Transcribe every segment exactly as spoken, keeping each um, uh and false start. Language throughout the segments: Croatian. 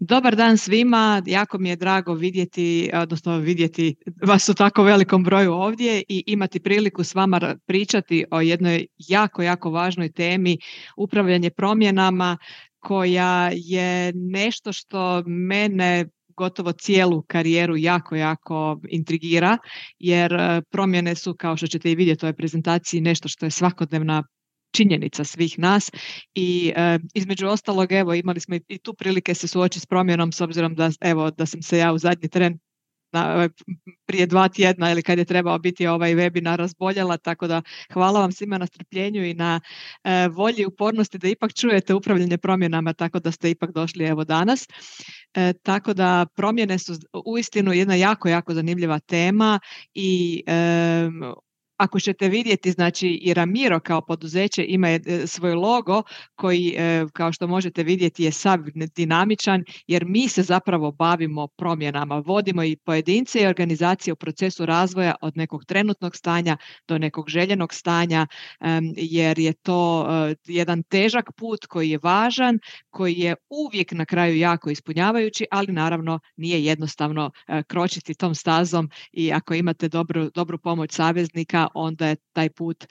Dobar dan svima, jako mi je drago vidjeti, odnosno vidjeti vas u tako velikom broju ovdje i imati priliku s vama pričati o jednoj jako, jako važnoj temi, upravljanje promjenama, koja je nešto što mene gotovo cijelu karijeru jako, jako intrigira, jer promjene su, kao što ćete i vidjeti u ovoj prezentaciji, nešto što je svakodnevna činjenica svih nas i e, između ostalog, evo, imali smo i, i tu prilike se suočiti s promjenom, s obzirom da, evo, da sam se ja u zadnji tren na, prije dva tjedna ili kad je trebao biti ovaj webinar razboljela, tako da hvala vam svima na strpljenju i na e, volji i upornosti da ipak čujete upravljanje promjenama, tako da ste ipak došli evo danas. E, tako da promjene su uistinu jedna jako, jako zanimljiva tema i e, ako ćete vidjeti, znači i Ramiro kao poduzeće ima svoj logo koji, kao što možete vidjeti, je sav dinamičan, jer mi se zapravo bavimo promjenama, vodimo i pojedince i organizacije u procesu razvoja od nekog trenutnog stanja do nekog željenog stanja, jer je to jedan težak put koji je važan, koji je uvijek na kraju jako ispunjavajući, ali naravno nije jednostavno kročiti tom stazom i ako imate dobru, dobru pomoć saveznika, onda je taj put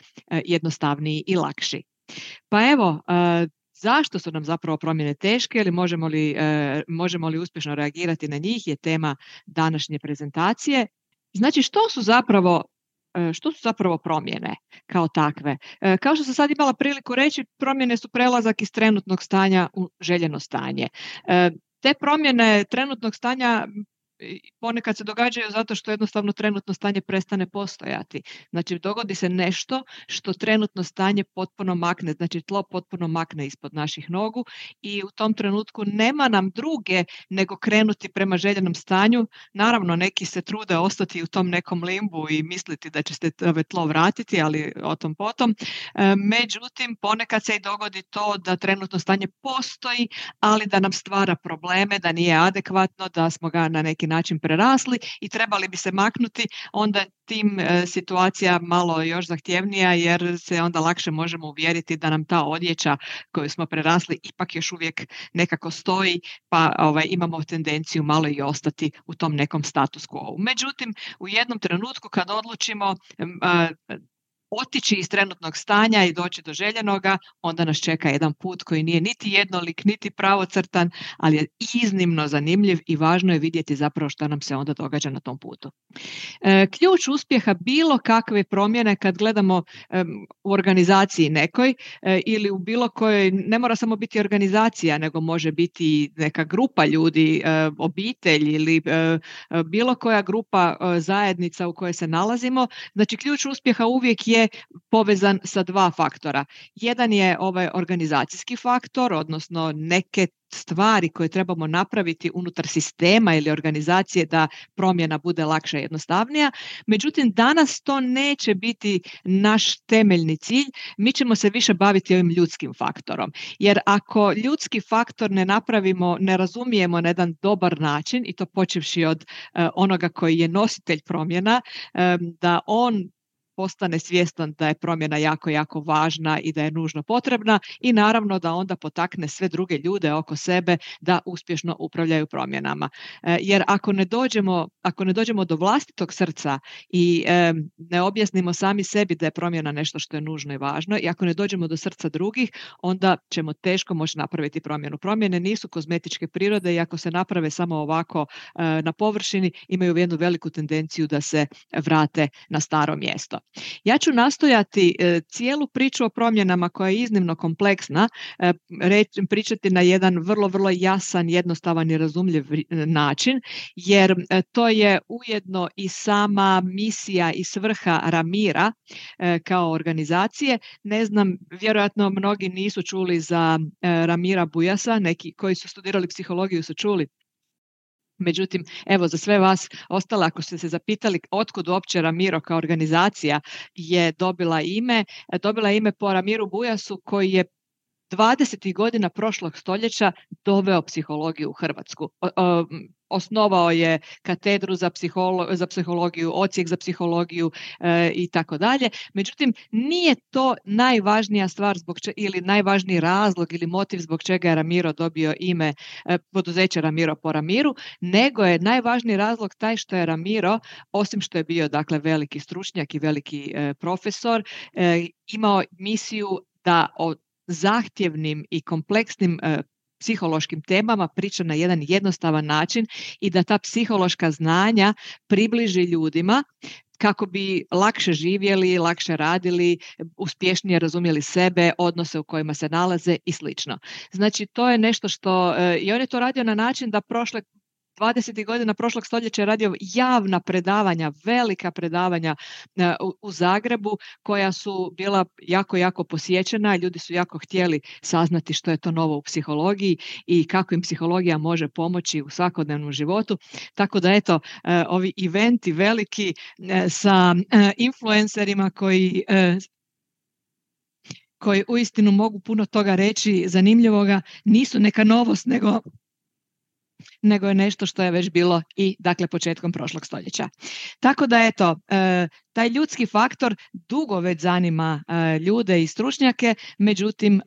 jednostavniji i lakši. Pa evo, zašto su nam zapravo promjene teške ili možemo li, možemo li uspješno reagirati na njih je tema današnje prezentacije. Znači, što su zapravo Što su zapravo promjene kao takve? Kao što sam sad imala priliku reći, promjene su prelazak iz trenutnog stanja u željeno stanje. Te promjene trenutnog stanja ponekad se događaju zato što jednostavno trenutno stanje prestane postojati. Znači, dogodi se nešto što trenutno stanje potpuno makne, znači tlo potpuno makne ispod naših nogu i u tom trenutku nema nam druge nego krenuti prema željenom stanju. Naravno, neki se trude ostati u tom nekom limbu i misliti da će se tlo vratiti, ali o tom potom. Međutim, ponekad se i dogodi to da trenutno stanje postoji, ali da nam stvara probleme, da nije adekvatno, da smo ga na neki način prerasli i trebali bi se maknuti, onda tim e, situacija malo još zahtjevnija, jer se onda lakše možemo uvjeriti da nam ta odjeća koju smo prerasli ipak još uvijek nekako stoji, pa ovaj, imamo tendenciju malo i ostati u tom nekom status quo. Međutim, u jednom trenutku kad odlučimo a, otići iz trenutnog stanja i doći do željenoga, onda nas čeka jedan put koji nije niti jednolik, niti pravocrtan, ali je iznimno zanimljiv i važno je vidjeti zapravo što nam se onda događa na tom putu. E, ključ uspjeha bilo kakve promjene kad gledamo e, u organizaciji nekoj e, ili u bilo kojoj, ne mora samo biti organizacija, nego može biti neka grupa ljudi, e, obitelj ili e, bilo koja grupa e, zajednica u kojoj se nalazimo. Znači, ključ uspjeha uvijek je povezan sa dva faktora. Jedan je ovaj organizacijski faktor, odnosno neke stvari koje trebamo napraviti unutar sistema ili organizacije da promjena bude lakša i jednostavnija. Međutim, danas to neće biti naš temeljni cilj. Mi ćemo se više baviti ovim ljudskim faktorom. Jer ako ljudski faktor ne napravimo, ne razumijemo na jedan dobar način, i to počevši od uh, onoga koji je nositelj promjena, um, da on postane svjestan da je promjena jako, jako važna i da je nužno potrebna i naravno da onda potakne sve druge ljude oko sebe da uspješno upravljaju promjenama. E, jer ako ne dođemo, ako ne dođemo do vlastitog srca i e, ne objasnimo sami sebi da je promjena nešto što je nužno i važno i ako ne dođemo do srca drugih, onda ćemo teško moći napraviti promjenu. Promjene nisu kozmetičke prirode i ako se naprave samo ovako e, na površini, imaju jednu veliku tendenciju da se vrate na staro mjesto. Ja ću nastojati e, cijelu priču o promjenama koja je iznimno kompleksna e, reč, pričati na jedan vrlo, vrlo jasan, jednostavan i razumljiv način, jer e, to je ujedno i sama misija i svrha Ramira e, kao organizacije. Ne znam, vjerojatno mnogi nisu čuli za e, Ramira Bujasa, neki koji su studirali psihologiju su čuli. Međutim, evo za sve vas ostale, ako ste se zapitali otkud uopće Ramiro kao organizacija je dobila ime, dobila ime po Ramiru Bujasu koji je dvadesetih godina prošlog stoljeća doveo psihologiju u Hrvatsku. O, o, osnovao je katedru za, psiholo, za psihologiju, odsjek za psihologiju e, i tako dalje. Međutim, nije to najvažnija stvar zbog če, ili najvažniji razlog ili motiv zbog čega je Ramiro dobio ime e, poduzeće Ramiro po Ramiru, nego je najvažniji razlog taj što je Ramiro, osim što je bio dakle veliki stručnjak i veliki e, profesor, e, imao misiju da o zahtjevnim i kompleksnim e, psihološkim temama priča na jedan jednostavan način i da ta psihološka znanja približi ljudima kako bi lakše živjeli, lakše radili, uspješnije razumjeli sebe, odnose u kojima se nalaze i slično. Znači, to je nešto što, i on je to radio na način da prošle dvadesetih godina prošlog stoljeća je radio javna predavanja, velika predavanja u, u Zagrebu koja su bila jako, jako posjećena. Ljudi su jako htjeli saznati što je to novo u psihologiji i kako im psihologija može pomoći u svakodnevnom životu. Tako da eto, ovi eventi veliki sa influencerima koji koji uistinu mogu puno toga reći zanimljivoga, nisu neka novost, nego nego je nešto što je već bilo i dakle početkom prošlog stoljeća. Tako da eto, e, taj ljudski faktor dugo već zanima e, ljude i stručnjake, međutim e,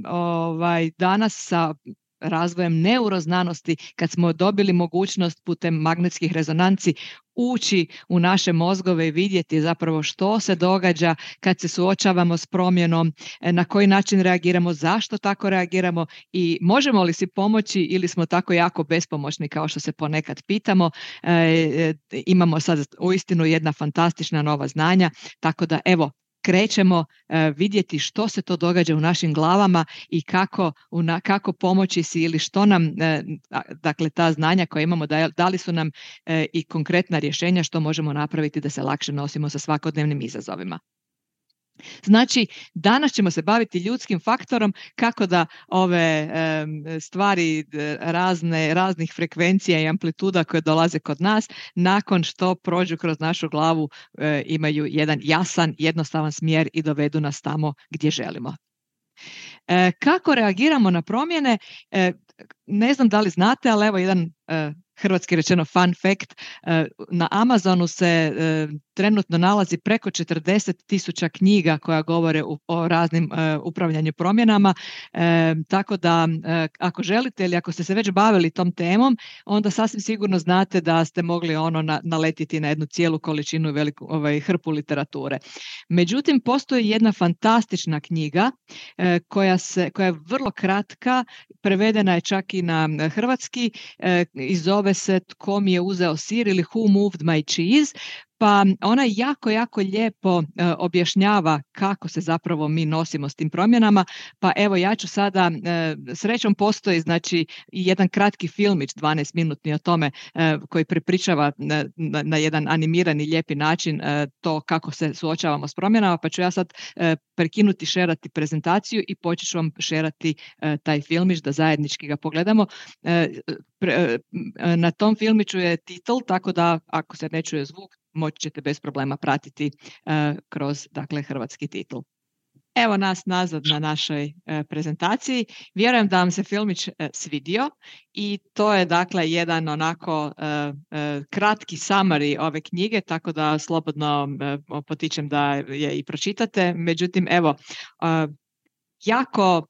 ovaj, danas sa razvojem neuroznanosti, kad smo dobili mogućnost putem magnetskih rezonanci ući u naše mozgove i vidjeti zapravo što se događa kad se suočavamo s promjenom, na koji način reagiramo, zašto tako reagiramo i možemo li si pomoći ili smo tako jako bespomoćni kao što se ponekad pitamo. E, imamo sad uistinu jedna fantastična nova znanja, tako da evo, krećemo e, vidjeti što se to događa u našim glavama i kako, una, kako pomoći si ili što nam, e, dakle ta znanja koja imamo, da, da li su nam e, i konkretna rješenja što možemo napraviti da se lakše nosimo sa svakodnevnim izazovima. Znači, danas ćemo se baviti ljudskim faktorom, kako da ove e, stvari razne, raznih frekvencija i amplituda koje dolaze kod nas, nakon što prođu kroz našu glavu, e, imaju jedan jasan, jednostavan smjer i dovedu nas tamo gdje želimo. E, kako reagiramo na promjene? E, ne znam da li znate, ali evo jedan e, hrvatski rečeno fun fact, na Amazonu se trenutno nalazi preko četrdeset tisuća knjiga koja govore o raznim upravljanju promjenama, tako da ako želite ili ako ste se već bavili tom temom, onda sasvim sigurno znate da ste mogli ono naletiti na jednu cijelu količinu, veliku ovaj, hrpu literature. Međutim, postoji jedna fantastična knjiga koja, se, koja je vrlo kratka, prevedena je čak i na hrvatski i zove se Tko mi je uzeo sir ili Who moved my cheese, pa ona jako, jako lijepo uh, objašnjava kako se zapravo mi nosimo s tim promjenama, pa evo ja ću sada, uh, srećom postoji znači jedan kratki filmić, dvanaest minutni o tome, uh, koji prepričava na, na, na jedan animirani lijepi način uh, to kako se suočavamo s promjenama, pa ću ja sad uh, prekinuti šerati prezentaciju i počet ću vam šerati uh, taj filmić da zajednički ga pogledamo. Uh, pre, uh, na tom filmiću je titl, tako da ako se ne čuje zvuk, moći ćete bez problema pratiti uh, kroz dakle, hrvatski titl. Evo nas nazad na našoj uh, prezentaciji. Vjerujem da vam se filmić uh, svidio i to je dakle jedan onako uh, uh, kratki summary ove knjige, tako da slobodno uh, potičem da je i pročitate. Međutim, evo, uh, jako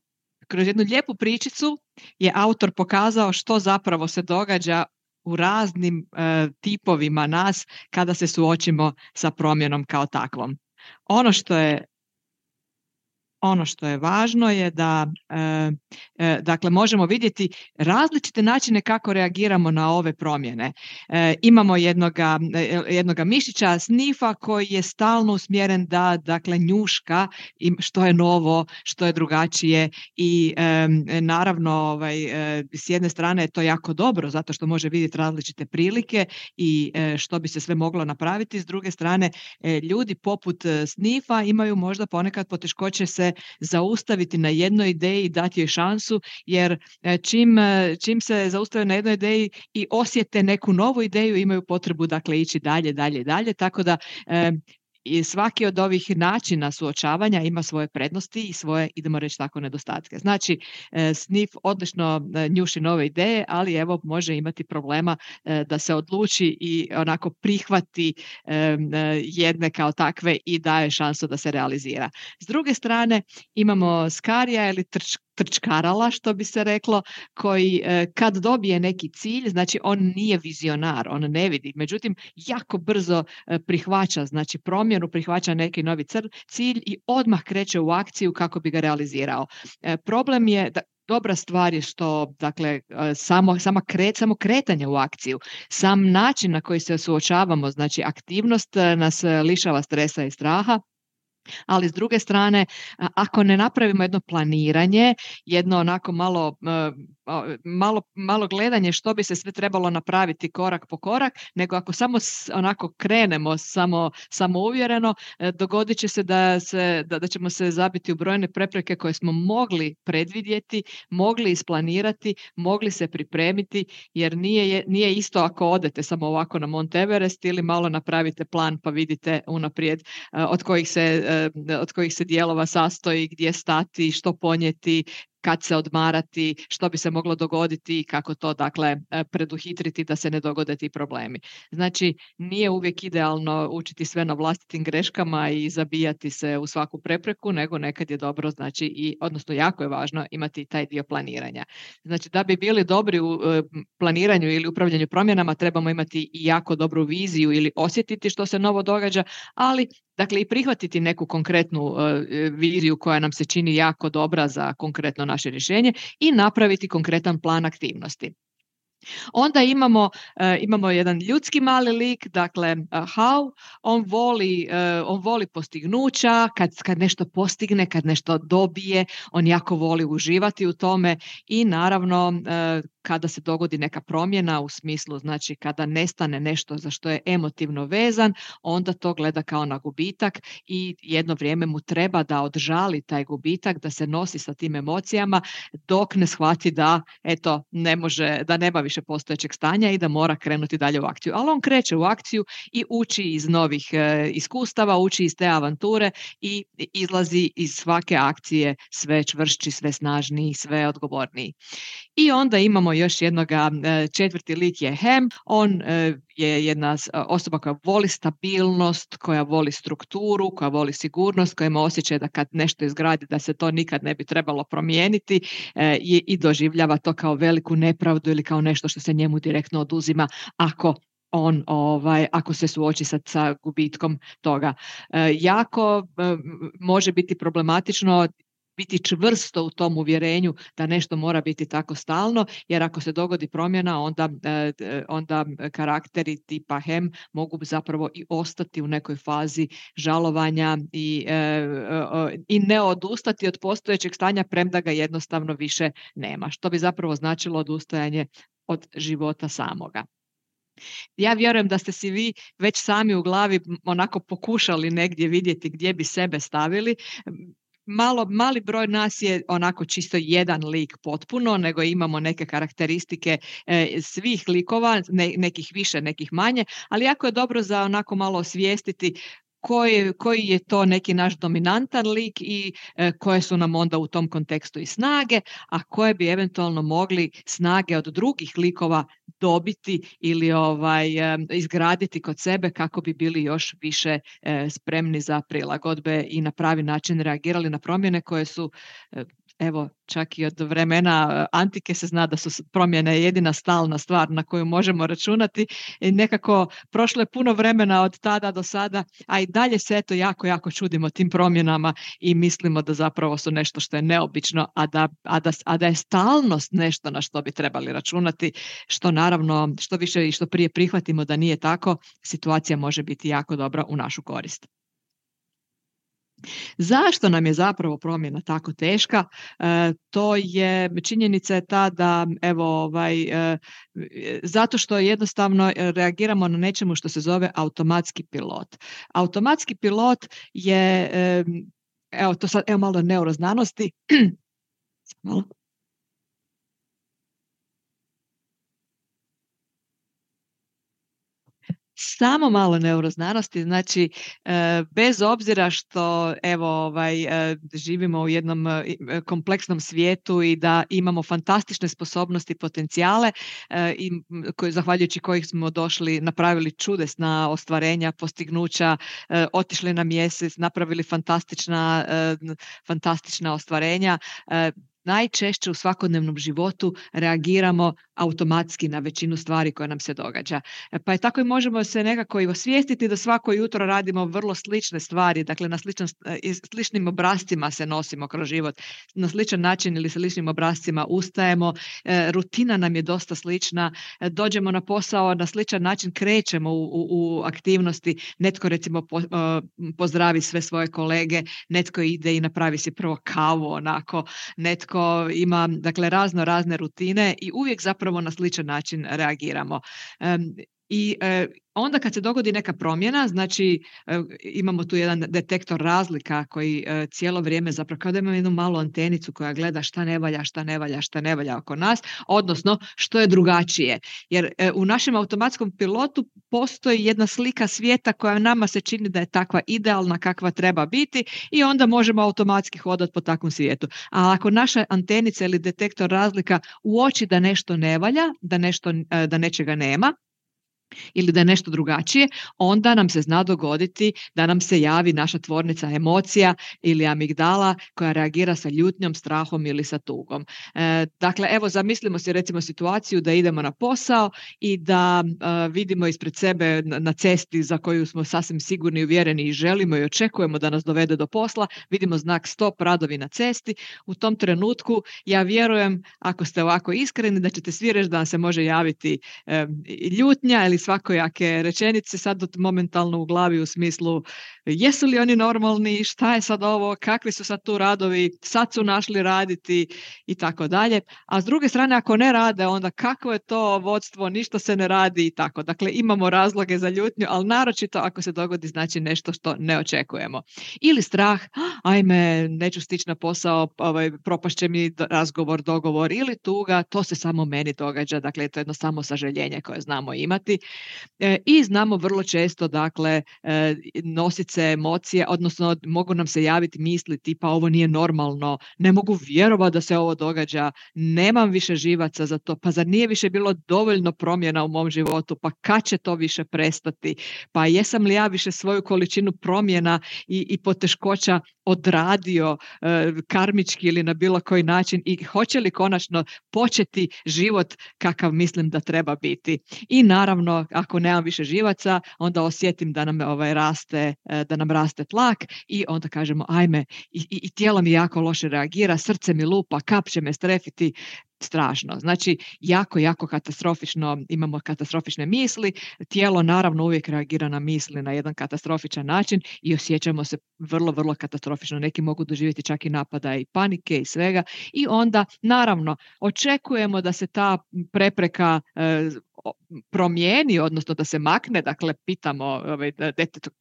kroz jednu lijepu pričicu je autor pokazao što zapravo se događa u raznim e, tipovima nas kada se suočimo sa promjenom kao takvom. Ono što je Ono što je važno je da e, e, dakle, možemo vidjeti različite načine kako reagiramo na ove promjene. E, imamo jednoga, jednoga mišića snifa koji je stalno usmjeren da dakle, njuška što je novo, što je drugačije i e, naravno ovaj, e, s jedne strane je to jako dobro zato što može vidjeti različite prilike i e, što bi se sve moglo napraviti. S druge strane, e, ljudi poput snifa imaju možda ponekad poteškoće se zaustaviti na jednoj ideji i dati joj šansu, jer čim, čim se zaustave na jednoj ideji i osjete neku novu ideju, imaju potrebu dakle ići dalje, dalje, dalje, tako da e, i svaki od ovih načina suočavanja ima svoje prednosti i svoje, idemo reći tako, nedostatke. Znači, S N I F odlično njuši nove ideje, ali evo može imati problema da se odluči i onako prihvati jedne kao takve i daje šansu da se realizira. S druge strane imamo skarija ili trč, trčkarala, što bi se reklo, koji kad dobije neki cilj, znači on nije vizionar, on ne vidi, međutim jako brzo prihvaća, znači promjenu, prihvaća neki novi cilj i odmah kreće u akciju kako bi ga realizirao. Problem je da dobra stvar je što, dakle, samo, sama kret, samo kretanje u akciju, sam način na koji se suočavamo, znači aktivnost nas lišava stresa i straha, ali s druge strane, ako ne napravimo jedno planiranje, jedno onako malo, malo, malo gledanje što bi se sve trebalo napraviti korak po korak, nego ako samo onako krenemo samo, samouvjereno, dogodit će se da, se da, da ćemo se zabiti u brojne prepreke koje smo mogli predvidjeti, mogli isplanirati, mogli se pripremiti, jer nije, nije isto ako odete samo ovako na Mount Everest ili malo napravite plan pa vidite unaprijed od kojih se od kojih se dijelova sastoji, gdje stati, što ponijeti, kad se odmarati, što bi se moglo dogoditi i kako to, dakle, preduhitriti da se ne dogode ti problemi. Znači, nije uvijek idealno učiti sve na vlastitim greškama i zabijati se u svaku prepreku, nego nekad je dobro, znači, i, odnosno jako je važno imati taj dio planiranja. Znači, da bi bili dobri u planiranju ili upravljanju promjenama, trebamo imati i jako dobru viziju ili osjetiti što se novo događa, ali dakle i prihvatiti neku konkretnu uh, viziju koja nam se čini jako dobra za konkretno naše rješenje i napraviti konkretan plan aktivnosti. Onda imamo, uh, imamo jedan ljudski mali lik, dakle uh, how, on voli, uh, on voli postignuća, kad, kad nešto postigne, kad nešto dobije, on jako voli uživati u tome i naravno uh, kada se dogodi neka promjena u smislu, znači kada nestane nešto za što je emotivno vezan, onda to gleda kao na gubitak i jedno vrijeme mu treba da odžali taj gubitak, da se nosi sa tim emocijama dok ne shvati da eto ne može, da nema više postojećeg stanja i da mora krenuti dalje u akciju. Ali on kreće u akciju i uči iz novih e, iskustava, uči iz te avanture i izlazi iz svake akcije sve čvršći, sve snažniji, sve odgovorniji. I onda imamo još jednoga, četvrti lik je Hem, on je jedna osoba koja voli stabilnost, koja voli strukturu, koja voli sigurnost, koja ima osjećaj da kad nešto izgradi da se to nikad ne bi trebalo promijeniti i, i doživljava to kao veliku nepravdu ili kao nešto što se njemu direktno oduzima ako on ovaj ako se suoči sa, sa gubitkom toga. Jako može biti problematično biti čvrsto u tom uvjerenju da nešto mora biti tako stalno, jer ako se dogodi promjena, onda, onda karakteri tipa Hem mogu zapravo i ostati u nekoj fazi žalovanja i, i ne odustati od postojećeg stanja, premda ga jednostavno više nema, što bi zapravo značilo odustajanje od života samoga. Ja vjerujem da ste si vi već sami u glavi onako pokušali negdje vidjeti gdje bi sebe stavili. Malo, mali broj nas je onako čisto jedan lik potpuno, nego imamo neke karakteristike e, svih likova, ne, nekih više, nekih manje, ali jako je dobro za onako malo osvijestiti koji, koji je to neki naš dominantan lik i e, koje su nam onda u tom kontekstu i snage, a koje bi eventualno mogli snage od drugih likova dobiti ili ovaj, e, izgraditi kod sebe kako bi bili još više e, spremni za prilagodbe i na pravi način reagirali na promjene koje su e, evo, čak i od vremena antike se zna da su promjene jedina stalna stvar na koju možemo računati. I nekako prošlo je puno vremena od tada do sada, a i dalje se eto jako, jako čudimo tim promjenama i mislimo da zapravo su nešto što je neobično, a da, a da, a da je stalnost nešto na što bi trebali računati, što naravno što više i što prije prihvatimo da nije tako, situacija može biti jako dobra u našu korist. Zašto nam je zapravo promjena tako teška? E, to je, činjenica je ta da, evo, ovaj, e, zato što jednostavno reagiramo na nečemu što se zove automatski pilot. Automatski pilot je, e, evo, to sad, evo malo neuroznanosti. Malo. Samo malo neuroznanosti, znači e, bez obzira što evo ovaj e, živimo u jednom e, kompleksnom svijetu i da imamo fantastične sposobnosti, potencijale e, i koji, zahvaljujući kojih smo došli, napravili čudesna ostvarenja, postignuća, e, otišli na mjesec, napravili fantastična, e, fantastična ostvarenja. E, najčešće u svakodnevnom životu reagiramo automatski na većinu stvari koje nam se događa. Pa je tako i možemo se nekako i osvijestiti da svako jutro radimo vrlo slične stvari, dakle na sličan, sličnim obrascima se nosimo kroz život, na sličan način ili sličnim obrascima ustajemo, rutina nam je dosta slična, dođemo na posao, na sličan način krećemo u, u, u aktivnosti, netko recimo po, pozdravi sve svoje kolege, netko ide i napravi si prvo kavu onako, netko ima dakle razno razne rutine i uvijek zapravo na sličan način reagiramo. Um, I e, onda kad se dogodi neka promjena, znači e, imamo tu jedan detektor razlika koji e, cijelo vrijeme zapravo kao da imamo jednu malu antenicu koja gleda šta ne valja, šta ne valja, šta ne valja oko nas, odnosno što je drugačije. Jer e, u našem automatskom pilotu postoji jedna slika svijeta koja nama se čini da je takva idealna kakva treba biti i onda možemo automatski hodati po takvom svijetu. A ako naša antenica ili detektor razlika uoči da nešto ne valja, da, nešto, e, da nečega nema, ili da je nešto drugačije, onda nam se zna dogoditi da nam se javi naša tvornica emocija ili amigdala koja reagira sa ljutnjom, strahom ili sa tugom. E, dakle, evo zamislimo si recimo situaciju da idemo na posao i da e, vidimo ispred sebe na, na cesti za koju smo sasvim sigurni i uvjereni i želimo i očekujemo da nas dovede do posla, vidimo znak stop, radovi na cesti. U tom trenutku ja vjerujem, ako ste ovako iskreni, da ćete svi reći da nam se može javiti e, ljutnja ili svakojake rečenice sad momentalno u glavi u smislu jesu li oni normalni, šta je sad ovo, kakvi su sad tu radovi, sad su našli raditi i tako dalje. A s druge strane ako ne rade onda kakvo je to vodstvo, ništa se ne radi i tako. Dakle imamo razloge za ljutnju, ali naročito ako se dogodi znači nešto što ne očekujemo. Ili strah, ajme neću stići na posao, ovaj, propašće mi razgovor, dogovor, ili tuga, to se samo meni događa, dakle to je jedno samo sažaljenje koje znamo imati. E, I znamo vrlo često dakle e, nositi se emocije, odnosno mogu nam se javiti misli tipa ovo nije normalno, ne mogu vjerovati da se ovo događa, nemam više živaca za to, pa zar nije više bilo dovoljno promjena u mom životu, pa kad će to više prestati, pa jesam li ja više svoju količinu promjena i, i poteškoća odradio e, karmički ili na bilo koji način i hoće li konačno početi život kakav mislim da treba biti. I naravno ako nemam više živaca, onda osjetim da nam ovaj raste, da nam raste tlak i onda kažemo ajme i, i, i tijelo mi jako loše reagira, srce mi lupa, kap će me strefiti, strašno. Znači jako, jako katastrofično, imamo katastrofične misli, tijelo naravno uvijek reagira na misli na jedan katastrofičan način i osjećamo se vrlo, vrlo katastrofično. Neki mogu doživjeti čak i napada i panike i svega i onda naravno očekujemo da se ta prepreka e, promijeni, odnosno da se makne, dakle pitamo ovaj,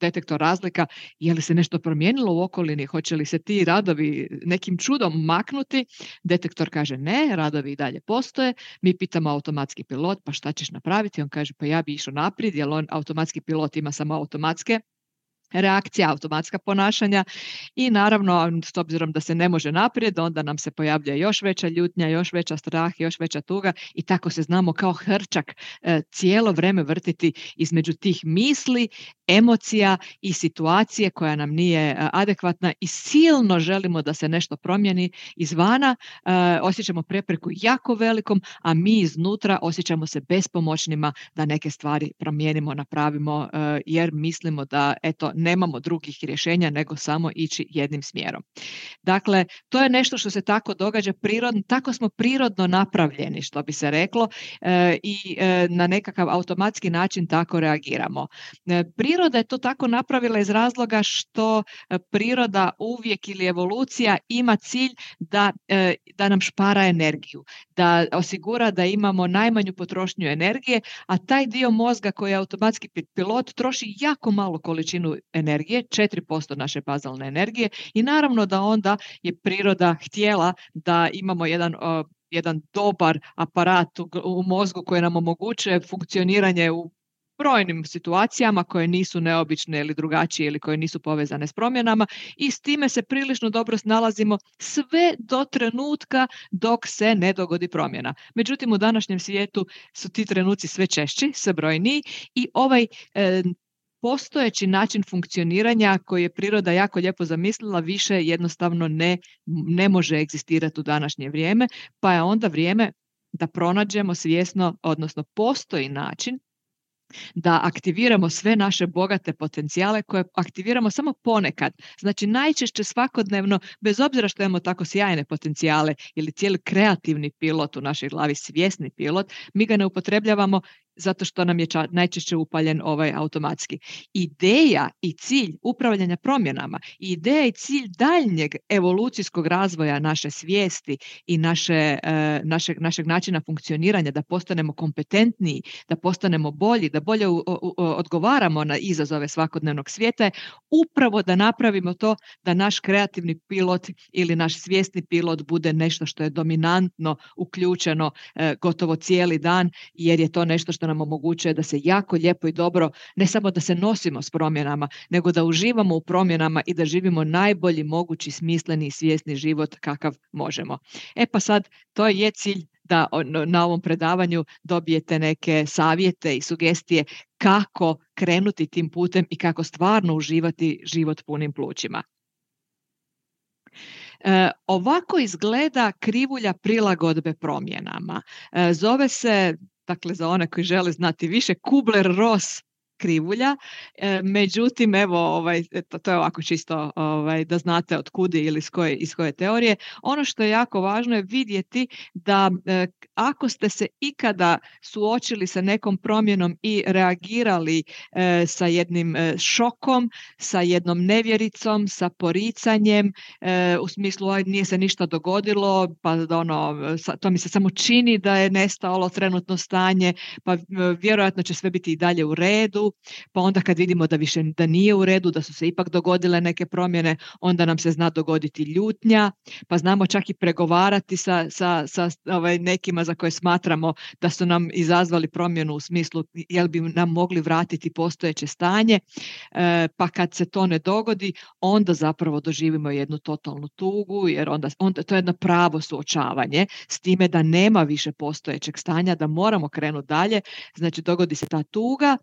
detektor razlika je li se nešto promijenilo u okolini, hoće li se ti radovi nekim čudom maknuti, detektor kaže ne, radovi i dalje postoje, mi pitamo automatski pilot pa šta ćeš napraviti, on kaže pa ja bi išao naprijed jer on automatski pilot ima samo automatske reakcija, automatska ponašanja i naravno s obzirom da se ne može naprijed, onda nam se pojavlja još veća ljutnja, još veća strah, još veća tuga i tako se znamo kao hrčak e, cijelo vrijeme vrtiti između tih misli, emocija i situacije koja nam nije e, adekvatna i silno želimo da se nešto promijeni izvana, e, osjećamo prepreku jako velikom, a mi iznutra osjećamo se bespomoćnima da neke stvari promijenimo, napravimo e, jer mislimo da eto nemamo drugih rješenja nego samo ići jednim smjerom. Dakle, to je nešto što se tako događa prirodno, tako smo prirodno napravljeni, što bi se reklo, e, i e, na nekakav automatski način tako reagiramo. E, priroda je to tako napravila iz razloga što e, priroda uvijek ili evolucija ima cilj da, e, da nam špara energiju, da osigura da imamo najmanju potrošnju energije, a taj dio mozga koji je automatski pilot troši jako malu količinu energije, četiri posto naše bazalne energije i naravno da onda je priroda htjela da imamo jedan, uh, jedan dobar aparat u, u mozgu koji nam omogućuje funkcioniranje u brojnim situacijama koje nisu neobične ili drugačije ili koje nisu povezane s promjenama i s time se prilično dobro snalazimo sve do trenutka dok se ne dogodi promjena. Međutim, u današnjem svijetu su ti trenuci sve češći, sve brojniji i ovaj e, postojeći način funkcioniranja koji je priroda jako lijepo zamislila više jednostavno ne, ne može egzistirati u današnje vrijeme, pa je onda vrijeme da pronađemo svjesno, odnosno postoji način da aktiviramo sve naše bogate potencijale koje aktiviramo samo ponekad. Znači najčešće svakodnevno, bez obzira što imamo tako sjajne potencijale ili cijeli kreativni pilot u našoj glavi, svjesni pilot, mi ga ne upotrebljavamo zato što nam je ča, najčešće upaljen ovaj automatski. Ideja i cilj upravljanja promjenama, ideja i cilj daljnjeg evolucijskog razvoja naše svijesti i naše, e, našeg, našeg načina funkcioniranja, da postanemo kompetentniji, da postanemo bolji, da bolje u, u, odgovaramo na izazove svakodnevnog svijeta, je upravo da napravimo to da naš kreativni pilot ili naš svjesni pilot bude nešto što je dominantno uključeno e, gotovo cijeli dan, jer je to nešto što nam omogućuje da se jako lijepo i dobro, ne samo da se nosimo s promjenama, nego da uživamo u promjenama i da živimo najbolji mogući smisleni i svjesni život kakav možemo. E pa sad, to je cilj da na ovom predavanju dobijete neke savjete i sugestije kako krenuti tim putem i kako stvarno uživati život punim plućima. E, ovako izgleda krivulja prilagodbe promjenama. E, zove se, dakle za one koji žele znati više, Kubler-Ross krivulja, e, međutim evo ovaj, to, to je ovako čisto ovaj, da znate od kudi ili iz koje, iz koje teorije. Ono što je jako važno je vidjeti da e, ako ste se ikada suočili sa nekom promjenom i reagirali e, sa jednim e, šokom, sa jednom nevjericom, sa poricanjem, e, u smislu aj, nije se ništa dogodilo, pa ono, to mi se samo čini da je nestalo trenutno stanje, pa vjerojatno će sve biti i dalje u redu, pa onda kad vidimo da više da nije u redu, da su se ipak dogodile neke promjene, onda nam se zna dogoditi ljutnja, pa znamo čak i pregovarati sa, sa, sa ovaj, nekima za koje smatramo da su nam izazvali promjenu u smislu jel bi nam mogli vratiti postojeće stanje, e, pa kad se to ne dogodi, onda zapravo doživimo jednu totalnu tugu, jer onda, onda to je jedno pravo suočavanje s time da nema više postojećeg stanja, da moramo krenuti dalje, znači dogodi se ta tuga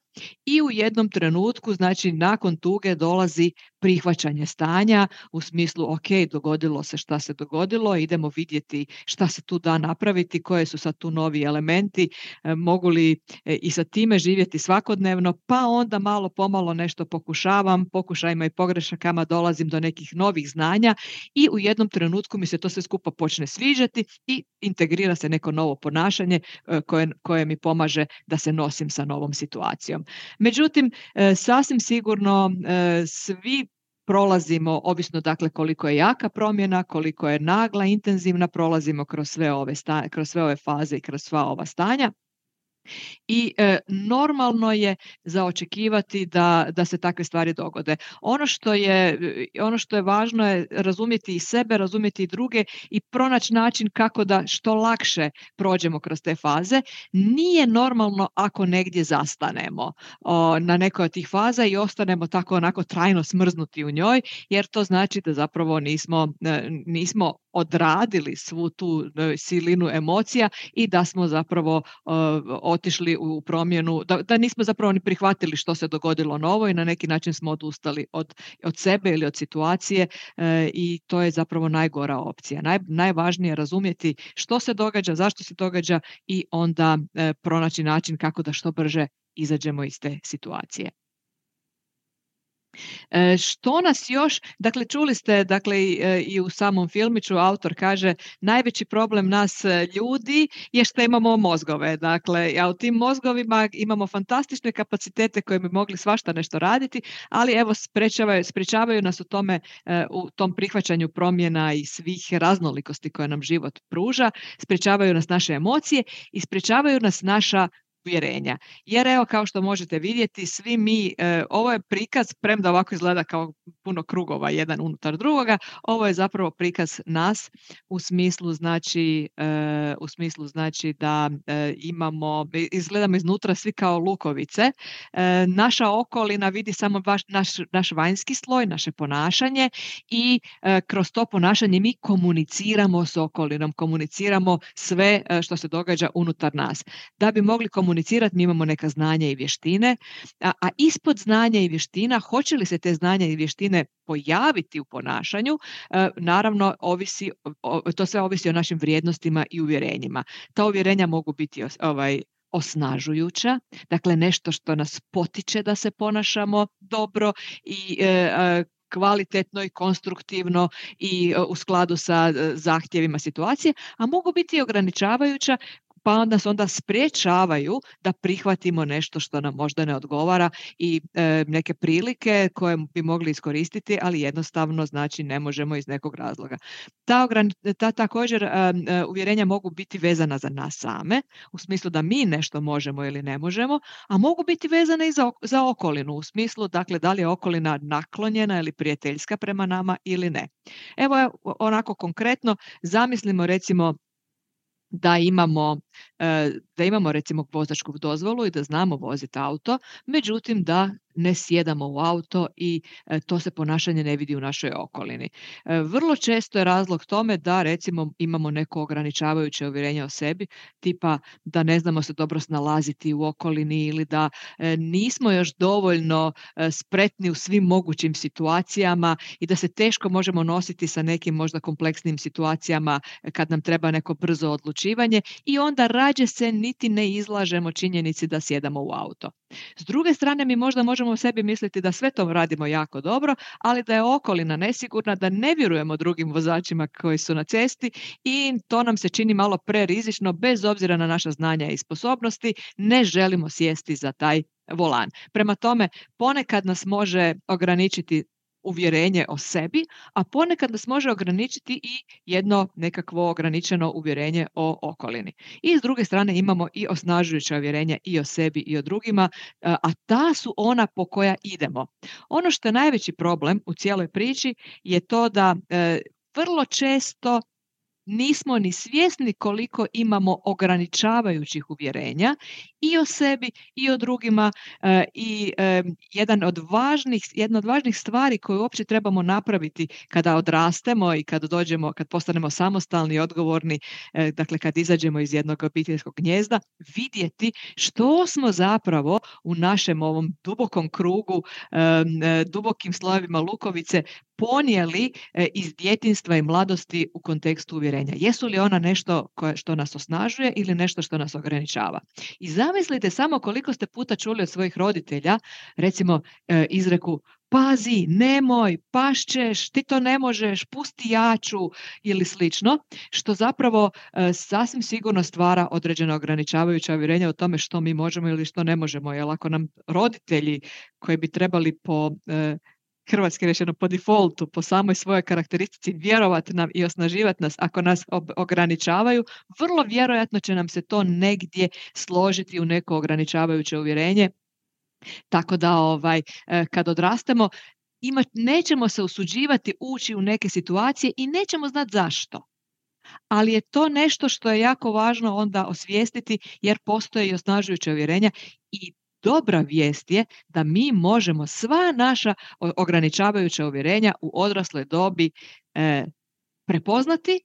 i u jednom trenutku, znači nakon tuge dolazi prihvaćanje stanja u smislu ok, dogodilo se šta se dogodilo, idemo vidjeti šta se tu da napraviti, koje su sad tu novi elementi, e, mogu li e, i sa time živjeti svakodnevno, pa onda malo pomalo nešto pokušavam, pokušajima i pogrešakama dolazim do nekih novih znanja i u jednom trenutku mi se to sve skupa počne sviđati i integrira se neko novo ponašanje e, koje, koje mi pomaže da se nosim sa novom situacijom. Međutim, e, sasvim sigurno e, svi prolazimo, ovisno dakle koliko je jaka promjena, koliko je nagla, intenzivna, prolazimo kroz sve ove, sta, kroz sve ove faze i kroz sva ova stanja. I e, normalno je za očekivati da, da se takve stvari dogode. Ono što je, ono što je važno je razumjeti i sebe, razumjeti i druge i pronaći način kako da što lakše prođemo kroz te faze. Nije normalno ako negdje zastanemo o, na nekoj od tih faza i ostanemo tako onako trajno smrznuti u njoj, jer to znači da zapravo nismo, nismo odradili svu tu silinu emocija i da smo zapravo uh, otišli u promjenu, da, da nismo zapravo ni prihvatili što se dogodilo novo i na neki način smo odustali od, od sebe ili od situacije uh, i to je zapravo najgora opcija. Naj, najvažnije je razumjeti što se događa, zašto se događa i onda uh, pronaći način kako da što brže izađemo iz te situacije. E, što nas još, dakle čuli ste dakle i, i u samom filmiću autor kaže najveći problem nas ljudi je što imamo mozgove, dakle a u tim mozgovima imamo fantastične kapacitete koje bi mogli svašta nešto raditi, ali evo sprečavaju, sprečavaju nas u tome, u tom prihvaćanju promjena i svih raznolikosti koje nam život pruža, sprečavaju nas naše emocije i sprečavaju nas naša uvjerenja. Jer evo, kao što možete vidjeti, svi mi, e, ovo je prikaz, premda ovako izgleda kao puno krugova jedan unutar drugoga, ovo je zapravo prikaz nas u smislu znači, e, u smislu znači da e, imamo, izgledamo iznutra svi kao lukovice. E, naša okolina vidi samo baš naš, naš vanjski sloj, naše ponašanje i e, kroz to ponašanje mi komuniciramo s okolinom, komuniciramo sve e, što se događa unutar nas. Da bi mogli komunicirati, mi imamo neka znanja i vještine, a, a ispod znanja i vještina, hoće li se te znanja i vještine pojaviti u ponašanju, e, naravno ovisi, o, to sve ovisi o našim vrijednostima i uvjerenjima. Ta uvjerenja mogu biti os, ovaj, osnažujuća, dakle nešto što nas potiče da se ponašamo dobro i e, kvalitetno i konstruktivno i u skladu sa zahtjevima situacije, a mogu biti ograničavajuća, pa nas onda sprječavaju da prihvatimo nešto što nam možda ne odgovara i e, neke prilike koje bi mogli iskoristiti, ali jednostavno znači ne možemo iz nekog razloga. Ta, ograni, ta također e, e, uvjerenja mogu biti vezana za nas same, u smislu da mi nešto možemo ili ne možemo, a mogu biti vezane i za, za okolinu, u smislu dakle da li je okolina naklonjena ili prijateljska prema nama ili ne. Evo onako konkretno, zamislimo recimo da imamo, da imamo recimo vozačku dozvolu i da znamo voziti auto, međutim da ne sjedamo u auto i to se ponašanje ne vidi u našoj okolini. Vrlo često je razlog tome da recimo imamo neko ograničavajuće uvjerenje o sebi, tipa da ne znamo se dobro snalaziti u okolini ili da nismo još dovoljno spretni u svim mogućim situacijama i da se teško možemo nositi sa nekim možda kompleksnim situacijama kad nam treba neko brzo odlučivanje i onda rađe se niti ne izlažemo činjenici da sjedamo u auto. S druge strane, mi možda možemo o sebi misliti da sve to radimo jako dobro, ali da je okolina nesigurna, da ne vjerujemo drugim vozačima koji su na cesti i to nam se čini malo prerizično, bez obzira na naša znanja i sposobnosti, ne želimo sjesti za taj volan. Prema tome, ponekad nas može ograničiti uvjerenje o sebi, a ponekad nas može ograničiti i jedno nekakvo ograničeno uvjerenje o okolini. I s druge strane imamo i osnažujuća uvjerenja i o sebi i o drugima, a ta su ona po koja idemo. Ono što je najveći problem u cijeloj priči je to da e, vrlo često nismo ni svjesni koliko imamo ograničavajućih uvjerenja i o sebi i o drugima e, i e, jedan od važnih, jedna od važnih stvari koju uopće trebamo napraviti kada odrastemo i kad dođemo, kad postanemo samostalni i odgovorni, e, dakle kad izađemo iz jednog obiteljskog gnijezda, vidjeti što smo zapravo u našem ovom dubokom krugu, e, e, dubokim slojevima lukovice ponijeli e, iz djetinjstva i mladosti u kontekstu uvjerenja. Jesu li ona nešto koje, što nas osnažuje ili nešto što nas ograničava? I zamislite samo koliko ste puta čuli od svojih roditelja, recimo e, izreku pazi, nemoj, pašćeš, ti to ne možeš, pusti jaču ili slično, što zapravo e, sasvim sigurno stvara određena ograničavajuća uvjerenja o tome što mi možemo ili što ne možemo. Jer ako nam roditelji koji bi trebali po e, hrvatski rečeno po defaultu, po samoj svojoj karakteristici vjerovati nam i osnaživati nas, ako nas ob- ograničavaju, vrlo vjerojatno će nam se to negdje složiti u neko ograničavajuće uvjerenje. Tako da ovaj, kad odrastemo, ima, nećemo se usuđivati ući u neke situacije i nećemo znati zašto. Ali je to nešto što je jako važno onda osvijestiti, jer postoje i osnažujuća uvjerenja i dobra vijest je da mi možemo sva naša ograničavajuća uvjerenja u odrasloj dobi e, prepoznati,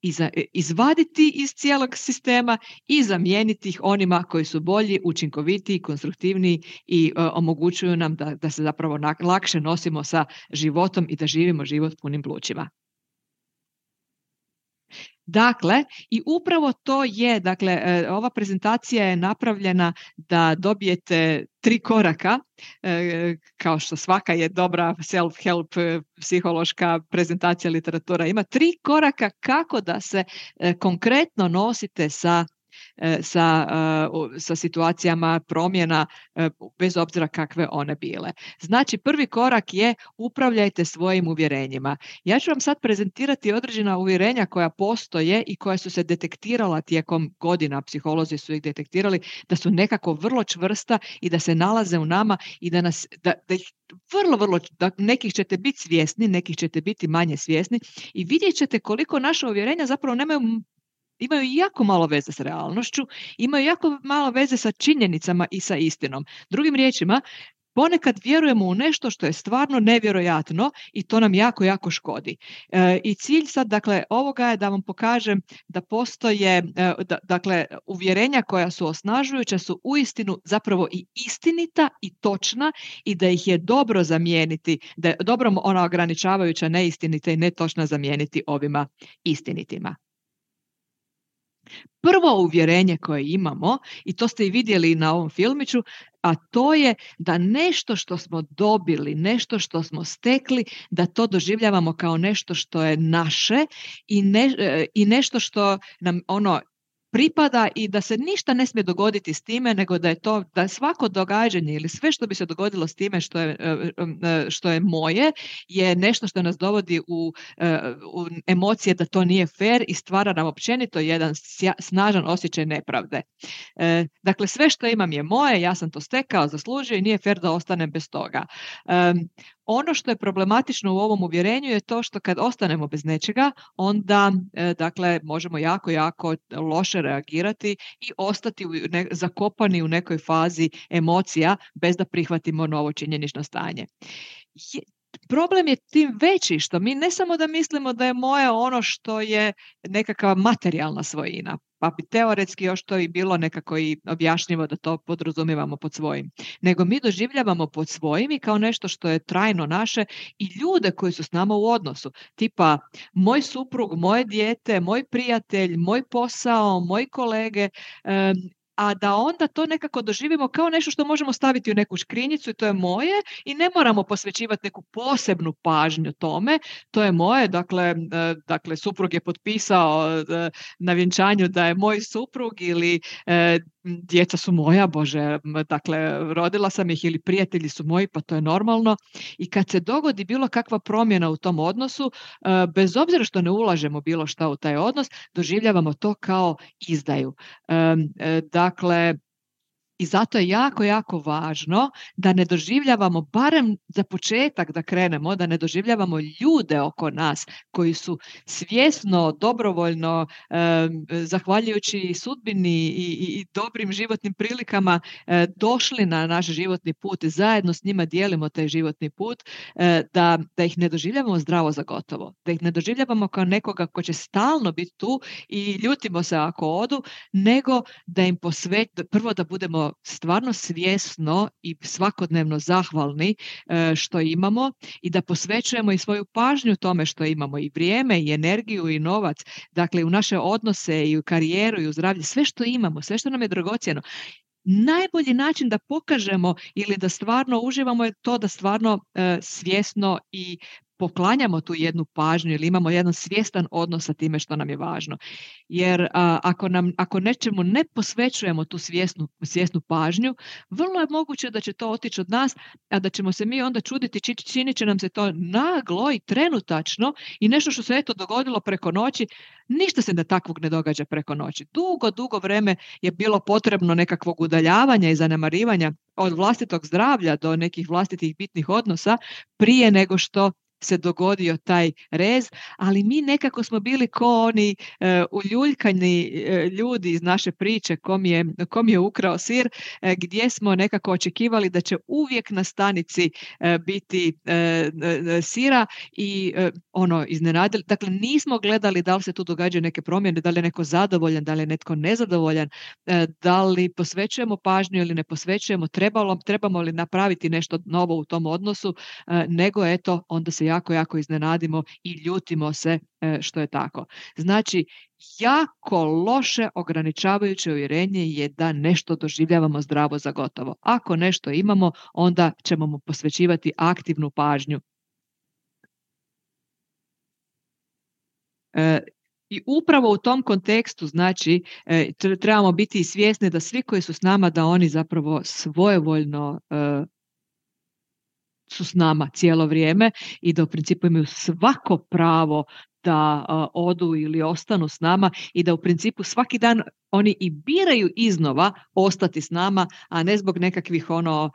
iza, izvaditi iz cijelog sistema i zamijeniti ih onima koji su bolji, učinkovitiji, konstruktivniji i e, omogućuju nam da, da se zapravo na, lakše nosimo sa životom i da živimo život punim plućima. Dakle, i upravo to je, dakle, ova prezentacija je napravljena da dobijete tri koraka, kao što svaka je dobra self-help psihološka prezentacija literatura, ima tri koraka kako da se konkretno nosite sa sa, sa situacijama promjena, bez obzira kakve one bile. Znači, prvi korak je upravljajte svojim uvjerenjima. Ja ću vam sad prezentirati određena uvjerenja koja postoje i koja su se detektirala tijekom godina, psiholozi su ih detektirali, da su nekako vrlo čvrsta i da se nalaze u nama i da nas, da, da ih vrlo, vrlo, da nekih ćete biti svjesni, nekih ćete biti manje svjesni i vidjet ćete koliko naša uvjerenja zapravo nemaju, imaju jako malo veze s realnošću, imaju jako malo veze sa činjenicama i sa istinom. Drugim riječima, ponekad vjerujemo u nešto što je stvarno nevjerojatno i to nam jako, jako škodi. E, I cilj sad, dakle, ovoga je da vam pokažem da postoje, e, da, dakle, uvjerenja koja su osnažujuća su uistinu zapravo i istinita i točna i da ih je dobro zamijeniti, da je dobro ona ograničavajuća neistinita i netočna zamijeniti ovima istinitima. Prvo uvjerenje koje imamo, i to ste i vidjeli na ovom filmiću, a to je da nešto što smo dobili, nešto što smo stekli, da to doživljavamo kao nešto što je naše i, ne, i nešto što nam ono pripada i da se ništa ne smije dogoditi s time, nego da je to, da svako događanje ili sve što bi se dogodilo s time što je, što je moje, je nešto što nas dovodi u, u emocije da to nije fair i stvara nam općenito jedan snažan osjećaj nepravde. Dakle, sve što imam je moje, ja sam to stekao, zaslužio i nije fair da ostanem bez toga. Ono što je problematično u ovom uvjerenju je to što kad ostanemo bez nečega, onda e, dakle, možemo jako, jako loše reagirati i ostati u ne, zakopani u nekoj fazi emocija bez da prihvatimo novo činjenično stanje. Je, problem je tim veći što mi ne samo da mislimo da je moje ono što je nekakva materijalna svojina, pa bi teoretski još to i bilo nekako i objašnjivo da to podrazumijevamo pod svojim, nego mi doživljavamo pod svojim i kao nešto što je trajno naše i ljude koji su s nama u odnosu, tipa moj suprug, moje dijete, moj prijatelj, moj posao, moji kolege, um, a da onda to nekako doživimo kao nešto što možemo staviti u neku škrinjicu i to je moje i ne moramo posvećivati neku posebnu pažnju tome, to je moje, dakle, dakle suprug je potpisao na vjenčanju da je moj suprug ili djeca su moja, Bože, dakle rodila sam ih ili prijatelji su moji, pa to je normalno i kad se dogodi bilo kakva promjena u tom odnosu, bez obzira što ne ulažemo bilo šta u taj odnos, doživljavamo to kao izdaju. Dakle, i zato je jako, jako važno da ne doživljavamo, barem za početak da krenemo, da ne doživljavamo ljude oko nas koji su svjesno, dobrovoljno, eh, zahvaljujući sudbini i, i, i dobrim životnim prilikama eh, došli na naš životni put i zajedno s njima dijelimo taj životni put, eh, da, da ih ne doživljavamo zdravo za gotovo, da ih ne doživljavamo kao nekoga ko će stalno biti tu i ljutimo se ako odu, nego da im posvet, prvo da budemo stvarno svjesno i svakodnevno zahvalni e, što imamo i da posvećujemo i svoju pažnju tome što imamo i vrijeme i energiju i novac, dakle u naše odnose i u karijeru i u zdravlje, sve što imamo, sve što nam je dragocjeno. Najbolji način da pokažemo ili da stvarno uživamo je to da stvarno e, svjesno i poklanjamo tu jednu pažnju ili imamo jedan svjestan odnos sa time što nam je važno. Jer a, ako, nam, ako nečemu ne posvećujemo tu svjesnu, svjesnu pažnju, vrlo je moguće da će to otići od nas, a da ćemo se mi onda čuditi, či, činit će nam se to naglo i trenutačno i nešto što se eto dogodilo preko noći, ništa se da takvog ne događa preko noći. Dugo, dugo vreme je bilo potrebno nekakvog udaljavanja i zanemarivanja od vlastitog zdravlja do nekih vlastitih bitnih odnosa prije nego što se dogodio taj rez, ali mi nekako smo bili ko oni e, uljuljkani e, ljudi iz naše priče kom je, kom je ukrao sir, e, gdje smo nekako očekivali da će uvijek na stanici e, biti e, e, sira i e, ono iznenadili. Dakle, nismo gledali da li se tu događaju neke promjene, da li je neko zadovoljan, da li je netko nezadovoljan, e, da li posvećujemo pažnju ili ne posvećujemo, trebalo, trebamo li napraviti nešto novo u tom odnosu, e, nego eto, onda se jako, jako iznenadimo i ljutimo se što je tako. Znači, jako loše ograničavajuće uvjerenje je da nešto doživljavamo zdravo za gotovo. Ako nešto imamo, onda ćemo mu posvećivati aktivnu pažnju. I upravo u tom kontekstu, znači, e, trebamo biti i svjesni da svi koji su s nama, da oni zapravo svojevoljno e, su s nama cijelo vrijeme i da u principu imaju svako pravo da a, odu ili ostanu s nama i da u principu svaki dan oni i biraju iznova ostati s nama, a ne zbog nekakvih ono,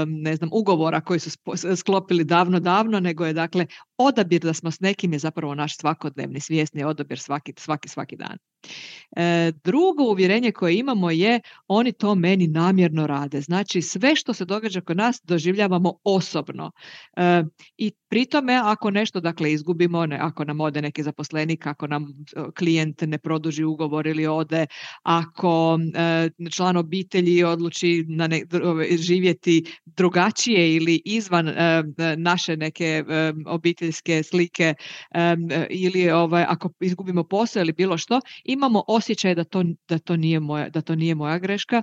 ne znam, ugovora koji su sklopili davno, davno, nego je dakle odabir da smo s nekim je zapravo naš svakodnevni svjesni odabir svaki, svaki, svaki dan. E, drugo uvjerenje koje imamo je oni to meni namjerno rade. Znači sve što se događa kod nas doživljavamo osobno. E, I pri tome ako nešto dakle izgubimo, ne, ako nam ode neki zaposlenik, ako nam klijent ne produži ugovor ili ode, ako e, član obitelji odluči na ne, živjeti drugačije ili izvan e, naše neke e, obiteljske slike e, ili ovaj, ako izgubimo posao ili bilo što, imamo osjećaj da to, da to nije moja, da to nije moja greška,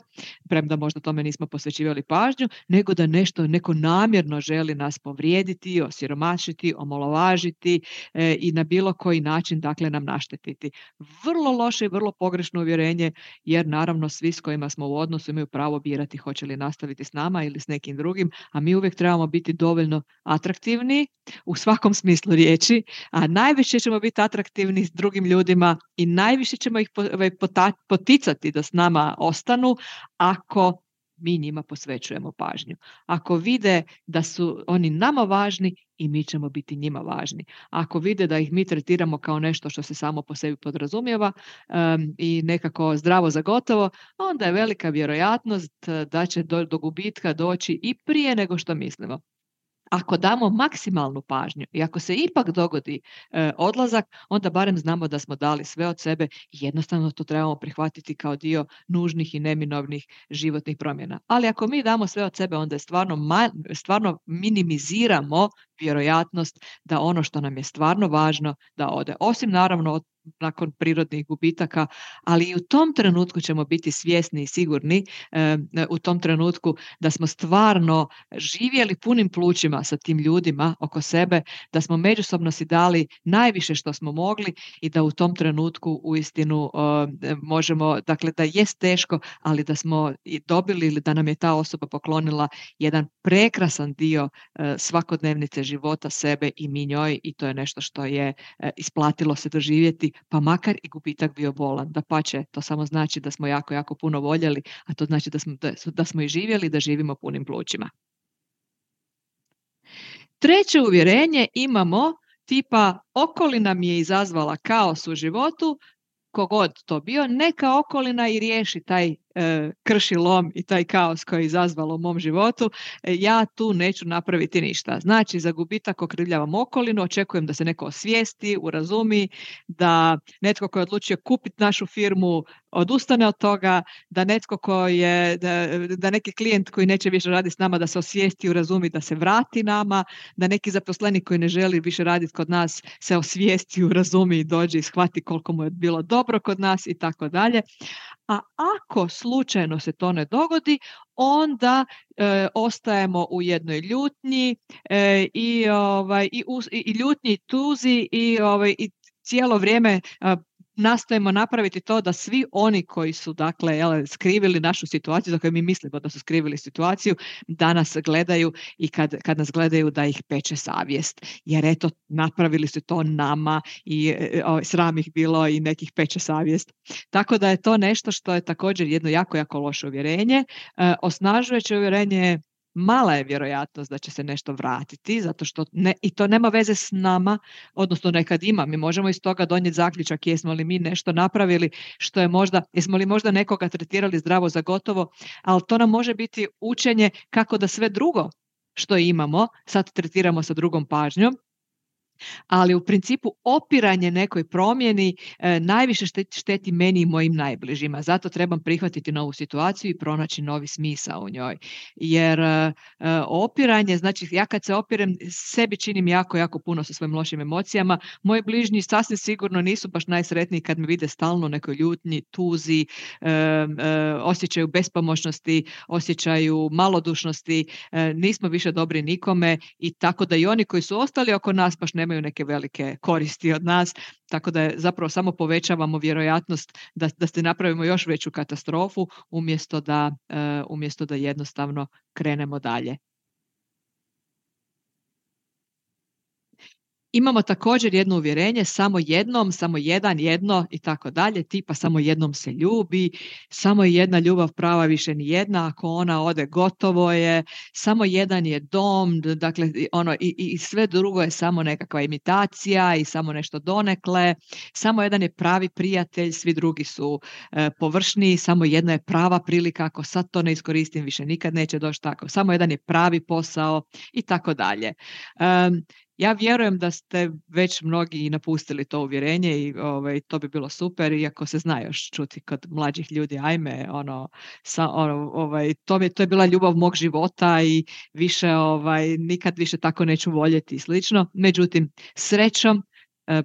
premda možda tome nismo posvećivali pažnju, nego da nešto neko namjerno želi nas povrijediti, osiromašiti, omalovažiti e, i na bilo koji način dakle nam naštetiti. Vrlo loše i vrlo pogrešno uvjerenje, jer naravno svi s kojima smo u odnosu imaju pravo birati hoće li nastaviti s nama ili s nekim drugim, a mi uvijek trebamo biti dovoljno atraktivni u svakom smislu riječi, a najviše ćemo biti atraktivni s drugim ljudima i najviše ćemo ih poticati da s nama ostanu ako mi njima posvećujemo pažnju. Ako vide da su oni nama važni i mi ćemo biti njima važni. Ako vide da ih mi tretiramo kao nešto što se samo po sebi podrazumijeva um, i nekako zdravo za gotovo, onda je velika vjerojatnost da će do, do gubitka doći i prije nego što mislimo. Ako damo maksimalnu pažnju i ako se ipak dogodi e, odlazak, onda barem znamo da smo dali sve od sebe i jednostavno to trebamo prihvatiti kao dio nužnih i neminovnih životnih promjena. Ali ako mi damo sve od sebe, onda je stvarno, ma, stvarno minimiziramo vjerojatnost da ono što nam je stvarno važno da ode. Osim naravno od nakon prirodnih gubitaka, ali i u tom trenutku ćemo biti svjesni i sigurni e, u tom trenutku da smo stvarno živjeli punim plućima sa tim ljudima oko sebe, da smo međusobno si dali najviše što smo mogli i da u tom trenutku uistinu e, možemo, dakle da jest teško, ali da smo i dobili ili da nam je ta osoba poklonila jedan prekrasan dio e, svakodnevnice života sebe i mi njoj i to je nešto što je e, isplatilo se doživjeti, pa makar i gubitak bio bolan. Dapače, to samo znači da smo jako, jako puno voljeli, a to znači da smo, da, da smo i živjeli, da živimo punim plućima. Treće uvjerenje imamo tipa okolina mi je izazvala kaos u životu, kogod to bio, neka okolina i riješi taj e, krši lom i taj kaos koji je izazvalo u mom životu, e, ja tu neću napraviti ništa. Znači, za gubitak okrivljavam okolinu, očekujem da se neko osvijesti, urazumi, da netko koji je odlučio kupiti našu firmu odustane od toga, da netko koji je, da, da neki klijent koji neće više raditi s nama da se osvijesti, urazumi, da se vrati nama, da neki zaposlenik koji ne želi više raditi kod nas se osvijesti, urazumi i dođe i shvati koliko mu je bilo dobro kod nas i tako dalje. A ako slučajno se to ne dogodi, onda e, ostajemo u jednoj ljutnji e, i, ovaj, i, us, i, i ljutnji i tuzi i, ovaj, i cijelo vrijeme a, nastojimo napraviti to da svi oni koji su dakle jel, skrivili našu situaciju, za koju mi mislimo da su skrivili situaciju, da nas gledaju i kad, kad nas gledaju da ih peče savjest. Jer eto, napravili su to nama i o, sram ih bilo i nekih peče savjest. Tako da je to nešto što je također jedno jako, jako loše uvjerenje. E, osnažujuće uvjerenje mala je vjerojatnost da će se nešto vratiti, zato što ne, i to nema veze s nama, odnosno nekad ima. Mi možemo iz toga donijeti zaključak jesmo li mi nešto napravili što je možda, jesmo li možda nekoga tretirali zdravo za gotovo, ali to nam može biti učenje kako da sve drugo što imamo sad tretiramo sa drugom pažnjom. Ali u principu opiranje nekoj promjeni e, najviše šteti, šteti meni i mojim najbližima. Zato trebam prihvatiti novu situaciju i pronaći novi smisao u njoj. Jer e, opiranje, znači ja kad se opirem, sebi činim jako, jako puno sa svojim lošim emocijama. Moji bližnji sasvim sigurno nisu baš najsretniji kad me vide stalno u nekoj ljutnji, tuzi, e, e, osjećaju bespomoćnosti, osjećaju malodušnosti, e, nismo više dobri nikome i tako da i oni koji su ostali oko nas baš ne nemaju neke velike koristi od nas, tako da je zapravo samo povećavamo vjerojatnost da, da se napravimo još veću katastrofu umjesto da, uh, umjesto da jednostavno krenemo dalje. Imamo također jedno uvjerenje, samo jednom, samo jedan, jedno i tako dalje, tipa samo jednom se ljubi, samo je jedna ljubav prava, više ni jedna, ako ona ode gotovo je, samo jedan je dom, dakle ono i, i sve drugo je samo nekakva imitacija i samo nešto donekle, samo jedan je pravi prijatelj, svi drugi su e, površniji, samo jedna je prava prilika, ako sad to ne iskoristim više nikad neće doći tako, samo jedan je pravi posao i tako dalje. Um, Ja vjerujem da ste već mnogi napustili to uvjerenje i ovaj, to bi bilo super, iako se zna još čuti kod mlađih ljudi, ajme, ono, sa, ono ovaj, to, je, to je bila ljubav mog života i više, ovaj, nikad više tako neću voljeti i slično. Međutim, srećom, eh,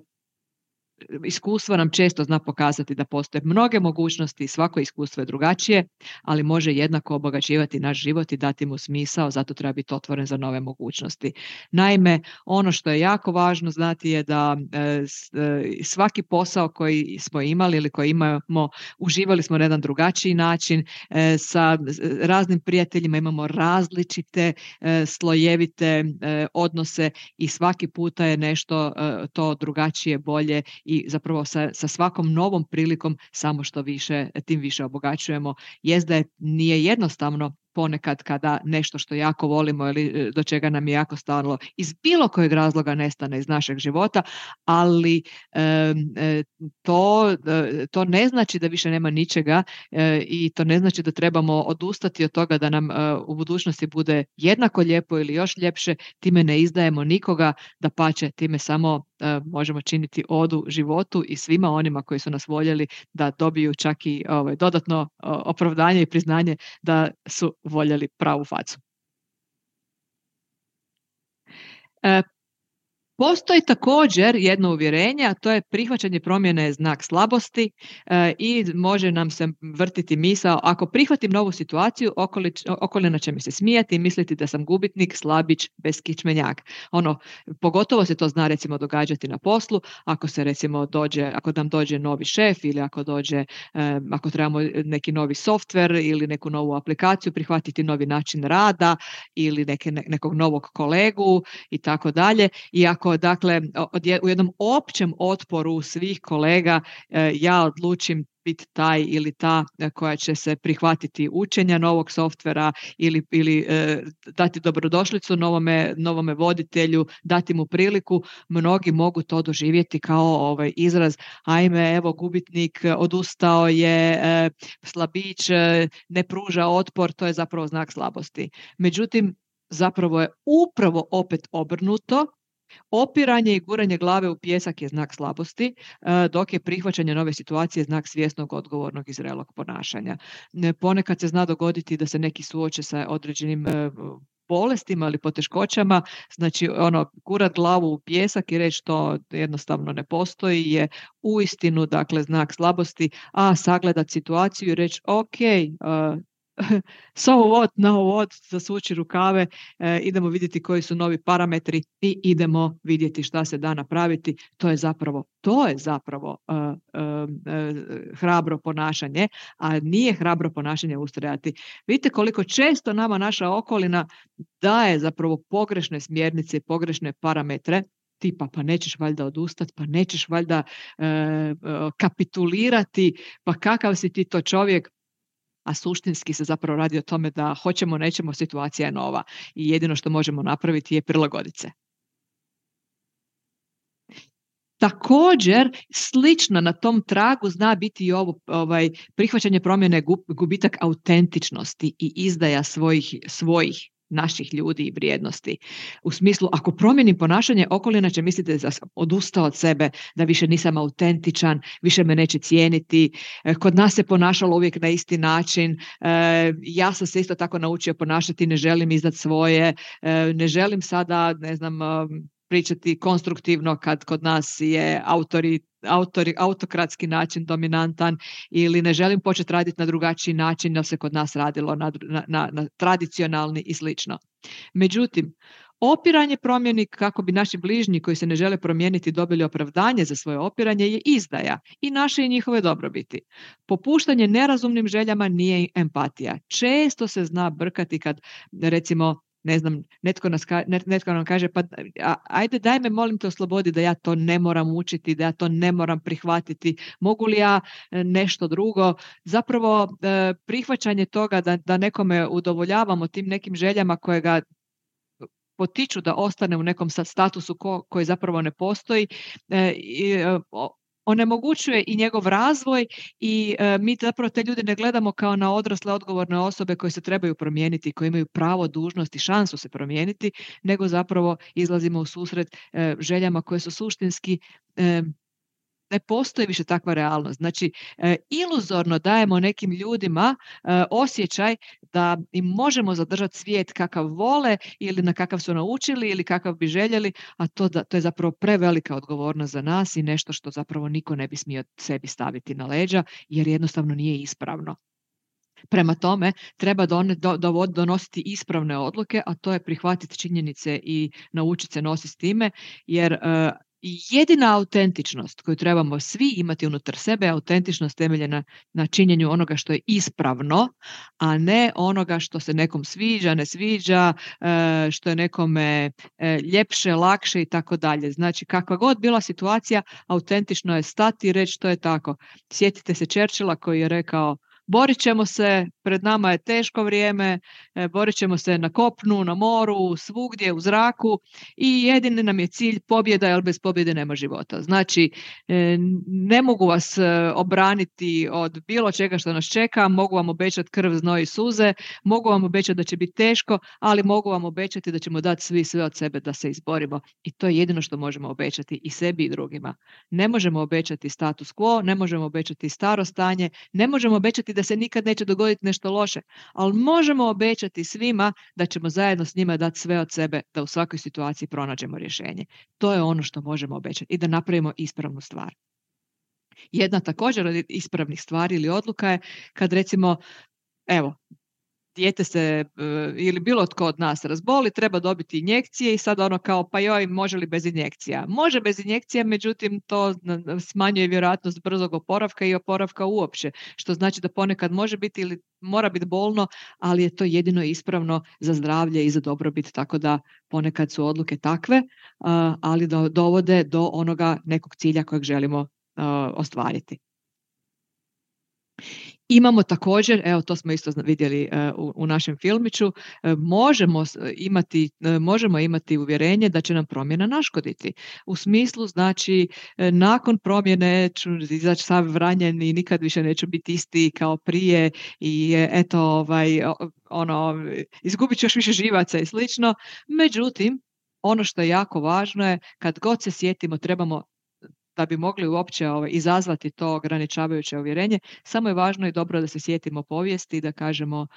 iskustvo nam često zna pokazati da postoje mnoge mogućnosti i svako iskustvo je drugačije, ali može jednako obogaćivati naš život i dati mu smisao, zato treba biti otvoren za nove mogućnosti. Naime, ono što je jako važno znati je da e, svaki posao koji smo imali ili koji imamo, uživali smo na jedan drugačiji način, e, sa raznim prijateljima imamo različite e, slojevite e, odnose i svaki puta je nešto e, to drugačije, bolje i zapravo sa, sa svakom novom prilikom samo što više, tim više obogaćujemo. Jest da je, nije jednostavno ponekad kada nešto što jako volimo ili do čega nam je jako stalo iz bilo kojeg razloga nestane iz našeg života, ali e, to, to ne znači da više nema ničega e, i to ne znači da trebamo odustati od toga da nam e, u budućnosti bude jednako lijepo ili još ljepše, time ne izdajemo nikoga, dapače, time samo e, možemo činiti odu životu i svima onima koji su nas voljeli da dobiju čak i ovaj, dodatno opravdanje i priznanje da su voljeli pravu facu. E, Postoji također jedno uvjerenje, a to je prihvaćanje promjene je znak slabosti e, i može nam se vrtiti misao, ako prihvatim novu situaciju, okolič, okolina će mi se smijati i misliti da sam gubitnik, slabić, beskičmenjak. Ono, pogotovo se to zna recimo događati na poslu, ako se recimo dođe, ako nam dođe novi šef ili ako dođe, e, ako trebamo neki novi softver ili neku novu aplikaciju, prihvatiti novi način rada ili neke, nekog novog kolegu i tako dalje. I ako dakle u jednom općem otporu svih kolega ja odlučim biti taj ili ta koja će se prihvatiti učenja novog softvera ili, ili e, dati dobrodošlicu novome, novome voditelju, dati mu priliku, mnogi mogu to doživjeti kao ovaj izraz, ajme evo gubitnik, odustao je, e, slabić, e, ne pruža otpor, to je zapravo znak slabosti. Međutim, zapravo je upravo opet obrnuto. Opiranje i guranje glave u pijesak je znak slabosti, dok je prihvaćanje nove situacije znak svjesnog, odgovornog i zrelog ponašanja. Ponekad se zna dogoditi da se neki suoče sa određenim bolestima ili poteškoćama, znači ono, gurat glavu u pijesak i reći to jednostavno ne postoji je uistinu dakle znak slabosti, a sagledat situaciju i reći ok, uh, so what, now what, zasuči rukave, e, idemo vidjeti koji su novi parametri i idemo vidjeti šta se da napraviti. To je zapravo, to je zapravo uh, uh, uh, hrabro ponašanje, a nije hrabro ponašanje ustrajati. Vidite koliko često nama naša okolina daje zapravo pogrešne smjernice i pogrešne parametre, tipa pa nećeš valjda odustati, pa nećeš valjda uh, uh, kapitulirati, pa kakav si ti to čovjek, a suštinski se zapravo radi o tome da hoćemo, nećemo, situacija je nova i jedino što možemo napraviti je prilagoditi se. Također, slično na tom tragu zna biti i ovo ovaj, prihvaćanje promjene, gubitak autentičnosti i izdaja svojih, svojih naših ljudi i vrijednosti. U smislu, ako promijenim ponašanje, okolina će misliti da sam odustao od sebe, da više nisam autentičan, više me neće cijeniti. Kod nas se ponašalo uvijek na isti način. Ja sam se isto tako naučio ponašati, ne želim izdati svoje, ne želim sada, ne znam, pričati konstruktivno kad kod nas je autori, autori, autokratski način dominantan ili ne želim početi raditi na drugačiji način, jer se kod nas radilo na, na, na tradicionalni i slično. Međutim, Opiranje promjeni kako bi naši bližnji koji se ne žele promijeniti dobili opravdanje za svoje opiranje je izdaja i naše i njihove dobrobiti. Popuštanje nerazumnim željama nije empatija. Često se zna brkati kad, recimo, ne znam, netko, nas ka, netko nam kaže pa a, ajde daj me molim te oslobodi da ja to ne moram učiti, da ja to ne moram prihvatiti, mogu li ja nešto drugo. Zapravo prihvaćanje toga da, da nekome udovoljavamo tim nekim željama koje ga potiču da ostane u nekom statusu ko, koji zapravo ne postoji, e, i, onemogućuje i njegov razvoj i e, mi zapravo te ljude ne gledamo kao na odrasle odgovorne osobe koje se trebaju promijeniti, koje imaju pravo, dužnost i šansu se promijeniti, nego zapravo izlazimo u susret e, željama koje su suštinski e, ne postoji više takva realnost. Znači, e, iluzorno dajemo nekim ljudima e, osjećaj da im možemo zadržati svijet kakav vole ili na kakav su naučili ili kakav bi željeli, a to, da, to je zapravo prevelika odgovornost za nas i nešto što zapravo niko ne bi smio sebi staviti na leđa jer jednostavno nije ispravno. Prema tome, treba don, do, do, donositi ispravne odluke, a to je prihvatiti činjenice i naučiti se nositi s time, jer e, jedina autentičnost koju trebamo svi imati unutar sebe, autentičnost temeljena na činjenju onoga što je ispravno, a ne onoga što se nekom sviđa, ne sviđa, što je nekome ljepše, lakše i tako dalje. Znači, kakva god bila situacija, autentično je stati i reći to je tako. Sjetite se Churchilla koji je rekao: borit ćemo se, pred nama je teško vrijeme, borit ćemo se na kopnu, na moru, svugdje, u zraku i jedini nam je cilj pobjeda, jer bez pobjede nema života. Znači, ne mogu vas obraniti od bilo čega što nas čeka, mogu vam obećati krv, znoj i suze, mogu vam obećati da će biti teško, ali mogu vam obećati da ćemo dati svi sve od sebe da se izborimo. I to je jedino što možemo obećati i sebi i drugima. Ne možemo obećati status quo, ne možemo obećati staro stanje, ne možemo obećati da se nikad neće dogoditi nešto loše, ali možemo obećati svima da ćemo zajedno s njima dati sve od sebe da u svakoj situaciji pronađemo rješenje. To je ono što možemo obećati i da napravimo ispravnu stvar. Jedna također od ispravnih stvari ili odluka je kad recimo, evo, dijete se ili bilo tko od nas razboli, treba dobiti injekcije i sad ono kao pa joj, može li bez injekcija? Može bez injekcija, međutim to smanjuje vjerojatnost brzog oporavka i oporavka uopće, što znači da ponekad može biti ili mora biti bolno, ali je to jedino ispravno za zdravlje i za dobrobit, tako da ponekad su odluke takve, ali dovode do onoga nekog cilja kojeg želimo ostvariti. Imamo također, evo to smo isto vidjeli uh, u, u našem filmiću, uh, možemo imati, uh, možemo imati uvjerenje da će nam promjena naškoditi. U smislu, znači, uh, nakon promjene ću izaći sav ranjen i nikad više neću biti isti kao prije i uh, eto, ovaj, ono, izgubit ću još više živaca i slično. Međutim, ono što je jako važno je, kad god se sjetimo, trebamo da bi mogli uopće ovaj, izazvati to ograničavajuće uvjerenje, samo je važno i dobro da se sjetimo povijesti i da kažemo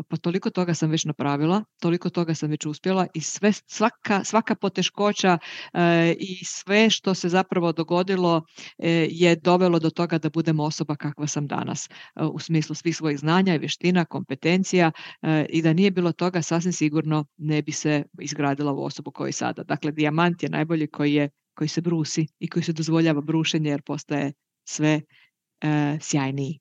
pa toliko toga sam već napravila, toliko toga sam već uspjela i sve, svaka, svaka poteškoća e, i sve što se zapravo dogodilo e, je dovelo do toga da budem osoba kakva sam danas, e, u smislu svih svojih znanja i vještina, kompetencija e, i da nije bilo toga sasvim sigurno ne bi se izgradila u osobu koju sada. Dakle, dijamant je najbolji koji je koji se brusi i koji se dozvoljava brušenje jer postaje sve e, sjajniji.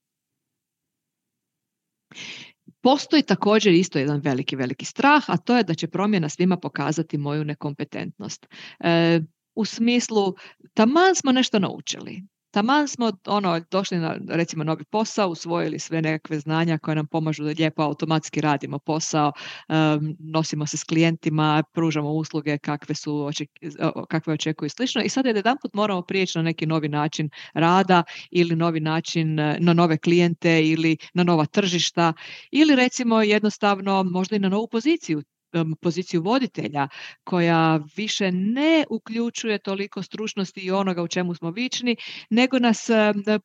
Postoji također isto jedan veliki, veliki strah, a to je da će promjena svima pokazati moju nekompetentnost. E, u smislu, taman smo nešto naučili. Taman smo ono, došli na recimo novi posao, usvojili sve nekakve znanja koje nam pomažu da lijepo automatski radimo posao, um, nosimo se s klijentima, pružamo usluge kakve, su oček, kakve očekuju i slično. I sad jedanput moramo prijeći na neki novi način rada ili novi način na nove klijente ili na nova tržišta ili recimo jednostavno možda i na novu poziciju. poziciju voditelja koja više ne uključuje toliko stručnosti i onoga u čemu smo vični, nego nas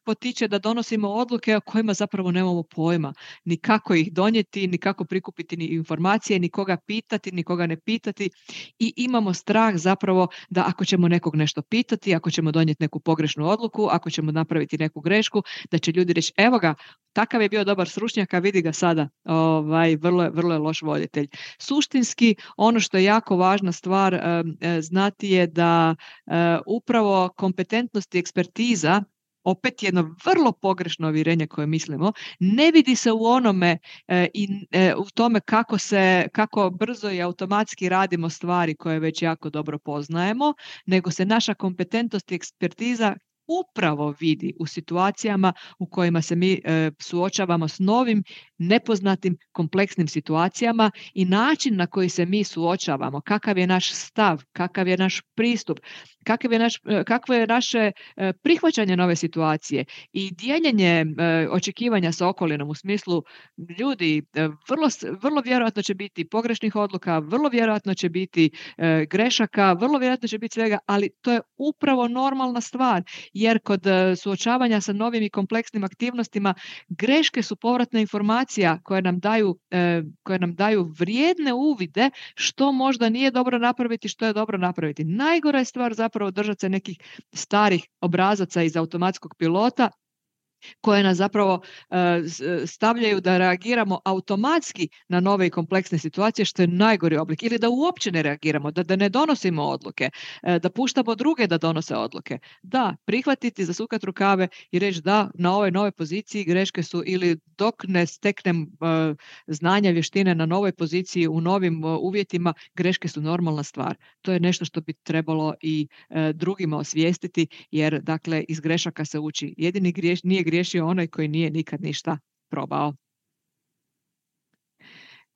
potiče da donosimo odluke o kojima zapravo nemamo pojma. Ni kako ih donijeti, ni kako prikupiti ni informacije, ni koga pitati, ni koga ne pitati i imamo strah zapravo da ako ćemo nekog nešto pitati, ako ćemo donijeti neku pogrešnu odluku, ako ćemo napraviti neku grešku, da će ljudi reći evo ga, takav je bio dobar stručnjak, a vidi ga sada, ovaj, vrlo, vrlo je loš voditelj. Suštinski suštinski ono što je jako važna stvar znati je da upravo kompetentnost i ekspertiza, opet jedno vrlo pogrešno uvjerenje koje mislimo, ne vidi se u onome e, i e, u tome kako se, kako brzo i automatski radimo stvari koje već jako dobro poznajemo, nego se naša kompetentnost i ekspertiza upravo vidi u situacijama u kojima se mi e, suočavamo s novim, nepoznatim, kompleksnim situacijama i način na koji se mi suočavamo, kakav je naš stav, kakav je naš pristup, kakav je naš, kakvo je naše e, prihvaćanje nove situacije i dijeljenje e, očekivanja sa okolinom u smislu ljudi, e, vrlo, vrlo vjerojatno će biti pogrešnih odluka, vrlo vjerojatno će biti e, grešaka, vrlo vjerojatno će biti svega, ali to je upravo normalna stvar. Jer kod suočavanja sa novim i kompleksnim aktivnostima greške su povratna informacija koje nam daju, koje nam daju vrijedne uvide što možda nije dobro napraviti, što je dobro napraviti. Najgora je stvar zapravo držati se nekih starih obrazaca iz automatskog pilota koje nas zapravo uh, stavljaju da reagiramo automatski na nove i kompleksne situacije, što je najgori oblik, ili da uopće ne reagiramo, da, da ne donosimo odluke, uh, da puštamo druge da donose odluke. Da, prihvatiti, zasukati rukave i reći da, na ovoj novoj poziciji greške su, ili dok ne steknem uh, znanja, vještine na novoj poziciji, u novim uh, uvjetima, greške su normalna stvar. To je nešto što bi trebalo i uh, drugima osvijestiti, jer dakle iz grešaka se uči. Jedini griješ, nije griješio onaj koji nije nikad ništa probao.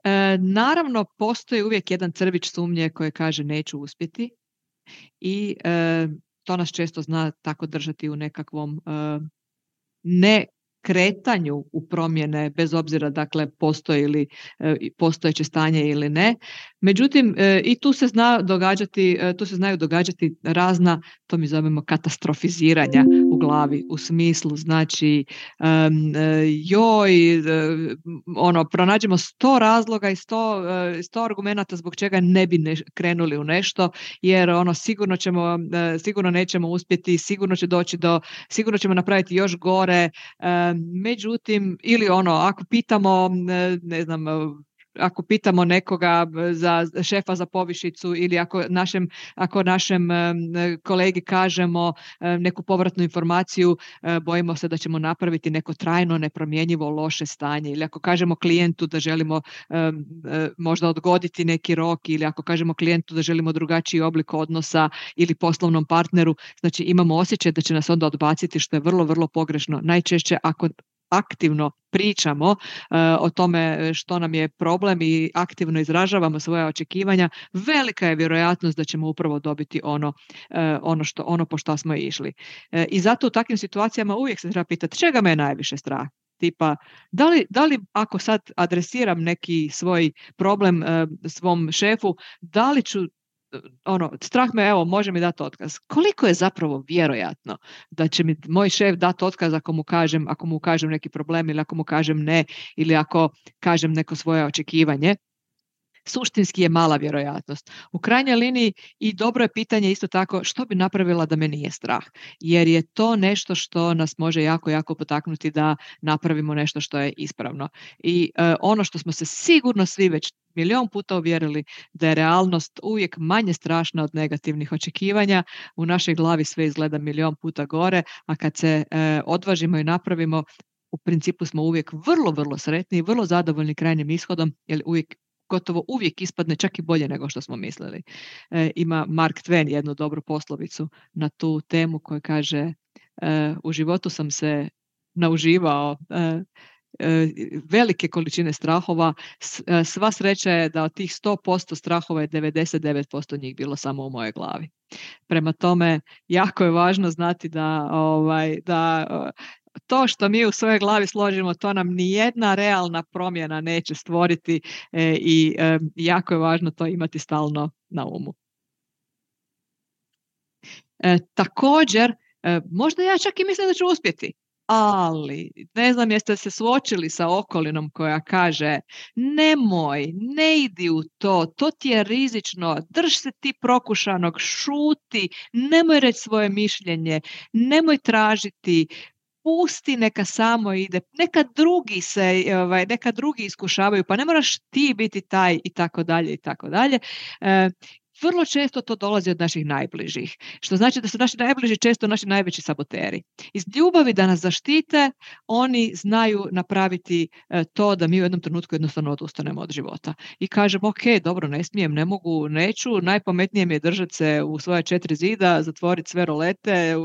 E, naravno, postoji uvijek jedan crvić sumnje koji kaže neću uspjeti i e, to nas često zna tako držati u nekakvom e, ne kretanju u promjene, bez obzira dakle postoji li e, postojeće stanje ili ne. Međutim, e, i tu se zna događati, e, tu se znaju događati razna, to mi zovemo katastrofiziranja u glavi, u smislu, znači um, joj, ono, pronađemo sto razloga i sto, sto argumenata zbog čega ne bi ne, krenuli u nešto, jer ono, sigurno ćemo, sigurno nećemo uspjeti, sigurno će doći do, sigurno ćemo napraviti još gore, um, međutim, ili ono, ako pitamo, ne znam, ako pitamo nekoga za šefa za povišicu ili ako našem, ako našem kolegi kažemo neku povratnu informaciju, bojimo se da ćemo napraviti neko trajno nepromjenjivo loše stanje, ili ako kažemo klijentu da želimo možda odgoditi neki rok, ili ako kažemo klijentu da želimo drugačiji oblik odnosa ili poslovnom partneru, znači imamo osjećaj da će nas onda odbaciti, što je vrlo, vrlo pogrešno. Najčešće ako aktivno pričamo uh, o tome što nam je problem i aktivno izražavamo svoje očekivanja, velika je vjerojatnost da ćemo upravo dobiti ono, uh, ono, što, ono po što smo išli. Uh, I zato u takvim situacijama uvijek se treba pitati čega me je najviše strah. Tipa, da li, da li ako sad adresiram neki svoj problem uh, svom šefu, da li ću ono, strah me, evo, može mi dati otkaz. Koliko je zapravo vjerojatno da će mi moj šef dati otkaz ako mu kažem, ako mu kažem neki problem ili ako mu kažem ne, ili ako kažem neko svoje očekivanje? Suštinski je mala vjerojatnost. U krajnjoj liniji i dobro je pitanje isto tako što bi napravila da me nije strah, jer je to nešto što nas može jako, jako potaknuti da napravimo nešto što je ispravno. I uh, ono što smo se sigurno svi već milion puta uvjerili, da je realnost uvijek manje strašna od negativnih očekivanja, u našoj glavi sve izgleda milion puta gore, a kad se uh, odvažimo i napravimo, u principu smo uvijek vrlo, vrlo sretni i vrlo zadovoljni krajnjim ishodom, jer uvijek gotovo uvijek ispadne čak i bolje nego što smo mislili. E, ima Mark Twain jednu dobru poslovicu na tu temu koja kaže e, u životu sam se nauživao e, e, velike količine strahova, S, e, sva sreća je da od tih sto posto strahova je devedeset devet posto njih bilo samo u mojoj glavi. Prema tome, jako je važno znati da, ovaj, da to što mi u svojoj glavi složimo, to nam nijedna realna promjena neće stvoriti e, i e, jako je važno to imati stalno na umu. E, također, e, možda ja čak i mislim da ću uspjeti, ali ne znam jeste se suočili sa okolinom koja kaže nemoj, ne idi u to, to ti je rizično, drž se ti prokušanog, šuti, nemoj reći svoje mišljenje, nemoj tražiti, pusti, neka samo ide, neka drugi se, ovaj, neka drugi iskušavaju, pa ne moraš ti biti taj i tako dalje i tako dalje. E, Vrlo često to dolazi od naših najbližih, što znači da su naši najbliži često naši najveći saboteri. Iz ljubavi da nas zaštite, oni znaju napraviti e, to da mi u jednom trenutku jednostavno odustanemo od života. I kažemo, ok, dobro, ne smijem, ne mogu, neću, najpametnije mi je držati se u svoje četiri zida, zatvoriti sve rolete,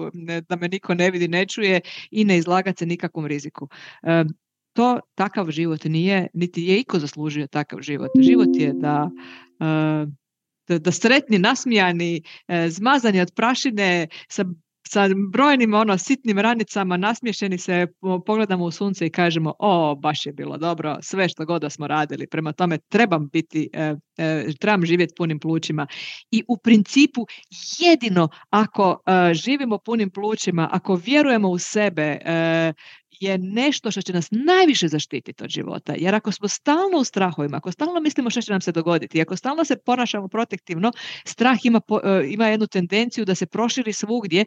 da me niko ne vidi, ne čuje i ne izlagati se nikakvom riziku. E, to takav život nije, niti je iko zaslužio takav život. Život je da... E, Da, da sretni, nasmijani, e, zmazani od prašine, sa, sa brojnim ono, sitnim ranicama, nasmiješeni se pogledamo u sunce i kažemo, o, baš je bilo dobro, sve što god da smo radili, prema tome trebam biti, e, e, trebam živjeti punim plućima. I u principu jedino ako e, živimo punim plućima, ako vjerujemo u sebe, e, je nešto što će nas najviše zaštititi od života. Jer ako smo stalno u strahovima, ako stalno mislimo što će nam se dogoditi, ako stalno se ponašamo protektivno, strah ima, po, ima jednu tendenciju da se proširi svugdje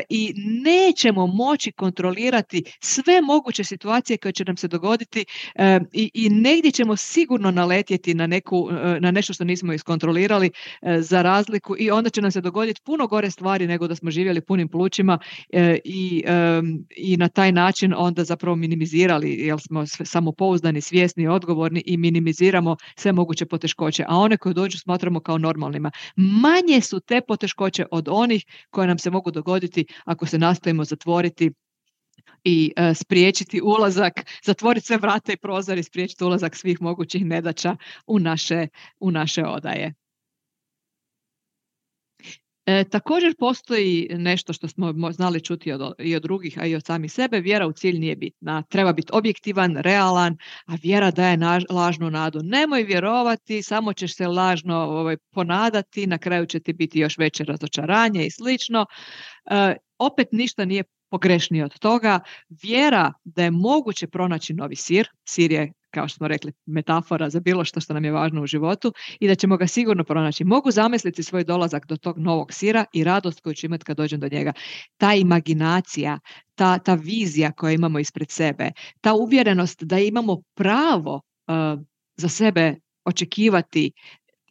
i nećemo moći kontrolirati sve moguće situacije koje će nam se dogoditi i, i negdje ćemo sigurno naletjeti na, neku, na nešto što nismo iskontrolirali za razliku i onda će nam se dogoditi puno gore stvari nego da smo živjeli punim plućima i, i na taj način onda zapravo minimizirali, jer smo samopouzdani, svjesni, odgovorni i minimiziramo sve moguće poteškoće, a one koje dođu smatramo kao normalnima. Manje su te poteškoće od onih koje nam se mogu dogoditi ako se nastojimo zatvoriti i uh, spriječiti ulazak, zatvoriti sve vrata i prozor i spriječiti ulazak svih mogućih nedaća u naše, u naše odaje. E, također postoji nešto što smo znali čuti od, i od drugih, a i od samih sebe, vjera u cilj nije bitna. Treba biti objektivan, realan, a vjera daje naž, lažnu nadu. Nemoj vjerovati, samo ćeš se lažno ovaj, ponadati, na kraju će ti biti još veće razočaranje i slično. E, opet ništa nije pogrešnije od toga. Vjera da je moguće pronaći novi sir, sir je, kao što smo rekli, metafora za bilo što što nam je važno u životu i da ćemo ga sigurno pronaći. Mogu zamisliti svoj dolazak do tog novog sira i radost koju ću imati kad dođem do njega. Ta imaginacija, ta, ta vizija koju imamo ispred sebe, ta uvjerenost da imamo pravo uh, za sebe očekivati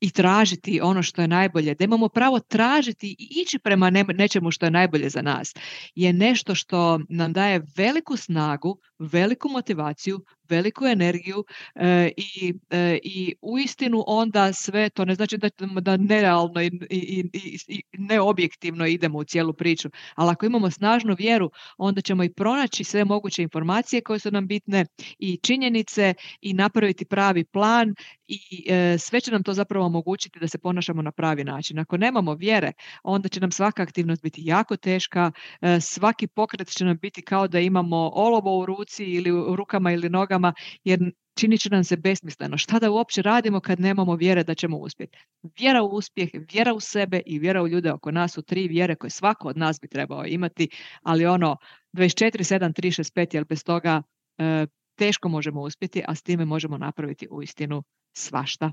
i tražiti ono što je najbolje, da imamo pravo tražiti i ići prema ne, nečemu što je najbolje za nas, je nešto što nam daje veliku snagu, veliku motivaciju, veliku energiju e, i, e, i uistinu onda sve to ne znači da, da nerealno i, i, i, i neobjektivno idemo u cijelu priču, ali ako imamo snažnu vjeru, onda ćemo i pronaći sve moguće informacije koje su nam bitne i činjenice i napraviti pravi plan i e, sve će nam to zapravo omogućiti da se ponašamo na pravi način. Ako nemamo vjere, onda će nam svaka aktivnost biti jako teška, e, svaki pokret će nam biti kao da imamo olovo u ruci ili u rukama ili nogama, jer činit će nam se besmisleno. Šta da uopće radimo kad nemamo vjere da ćemo uspjeti? Vjera u uspjeh, vjera u sebe i vjera u ljude oko nas su tri vjere koje svako od nas bi trebao imati, ali ono dvadeset četiri sedam tri šest pet, jer bez toga e, teško možemo uspjeti, a s time možemo napraviti uistinu svašta.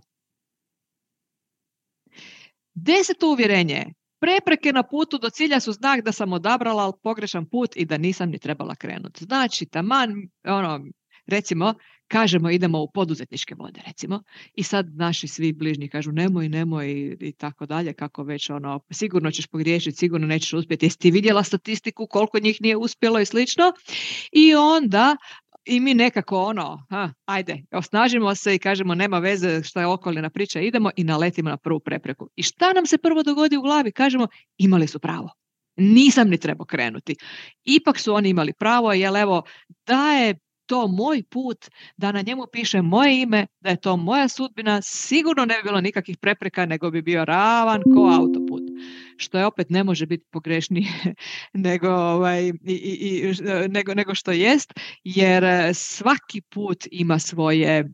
Deseto uvjerenje. Prepreke na putu do cilja su znak da sam odabrala pogrešan put i da nisam ni trebala krenuti. Znači, taman, ono, recimo, kažemo idemo u poduzetničke vode, recimo, i sad naši svi bližnji kažu nemoj, nemoj i, i tako dalje, kako već ono, sigurno ćeš pogriješiti, sigurno nećeš uspjeti, jesi ti vidjela statistiku koliko njih nije uspjelo i slično, i onda i mi nekako ono, ha, ajde, osnažimo se i kažemo nema veze šta je okolina priča, idemo i naletimo na prvu prepreku. I šta nam se prvo dogodi u glavi? Kažemo, imali su pravo. Nisam ni trebao krenuti. Ipak su oni imali pravo, jer evo, da je to moj put, da na njemu piše moje ime, da je to moja sudbina, sigurno ne bi bilo nikakvih prepreka, nego bi bio ravan ko autoput. Što je opet ne može biti pogrešnije nego, ovaj, i, i, i, nego, nego što jest, jer svaki put ima svoje,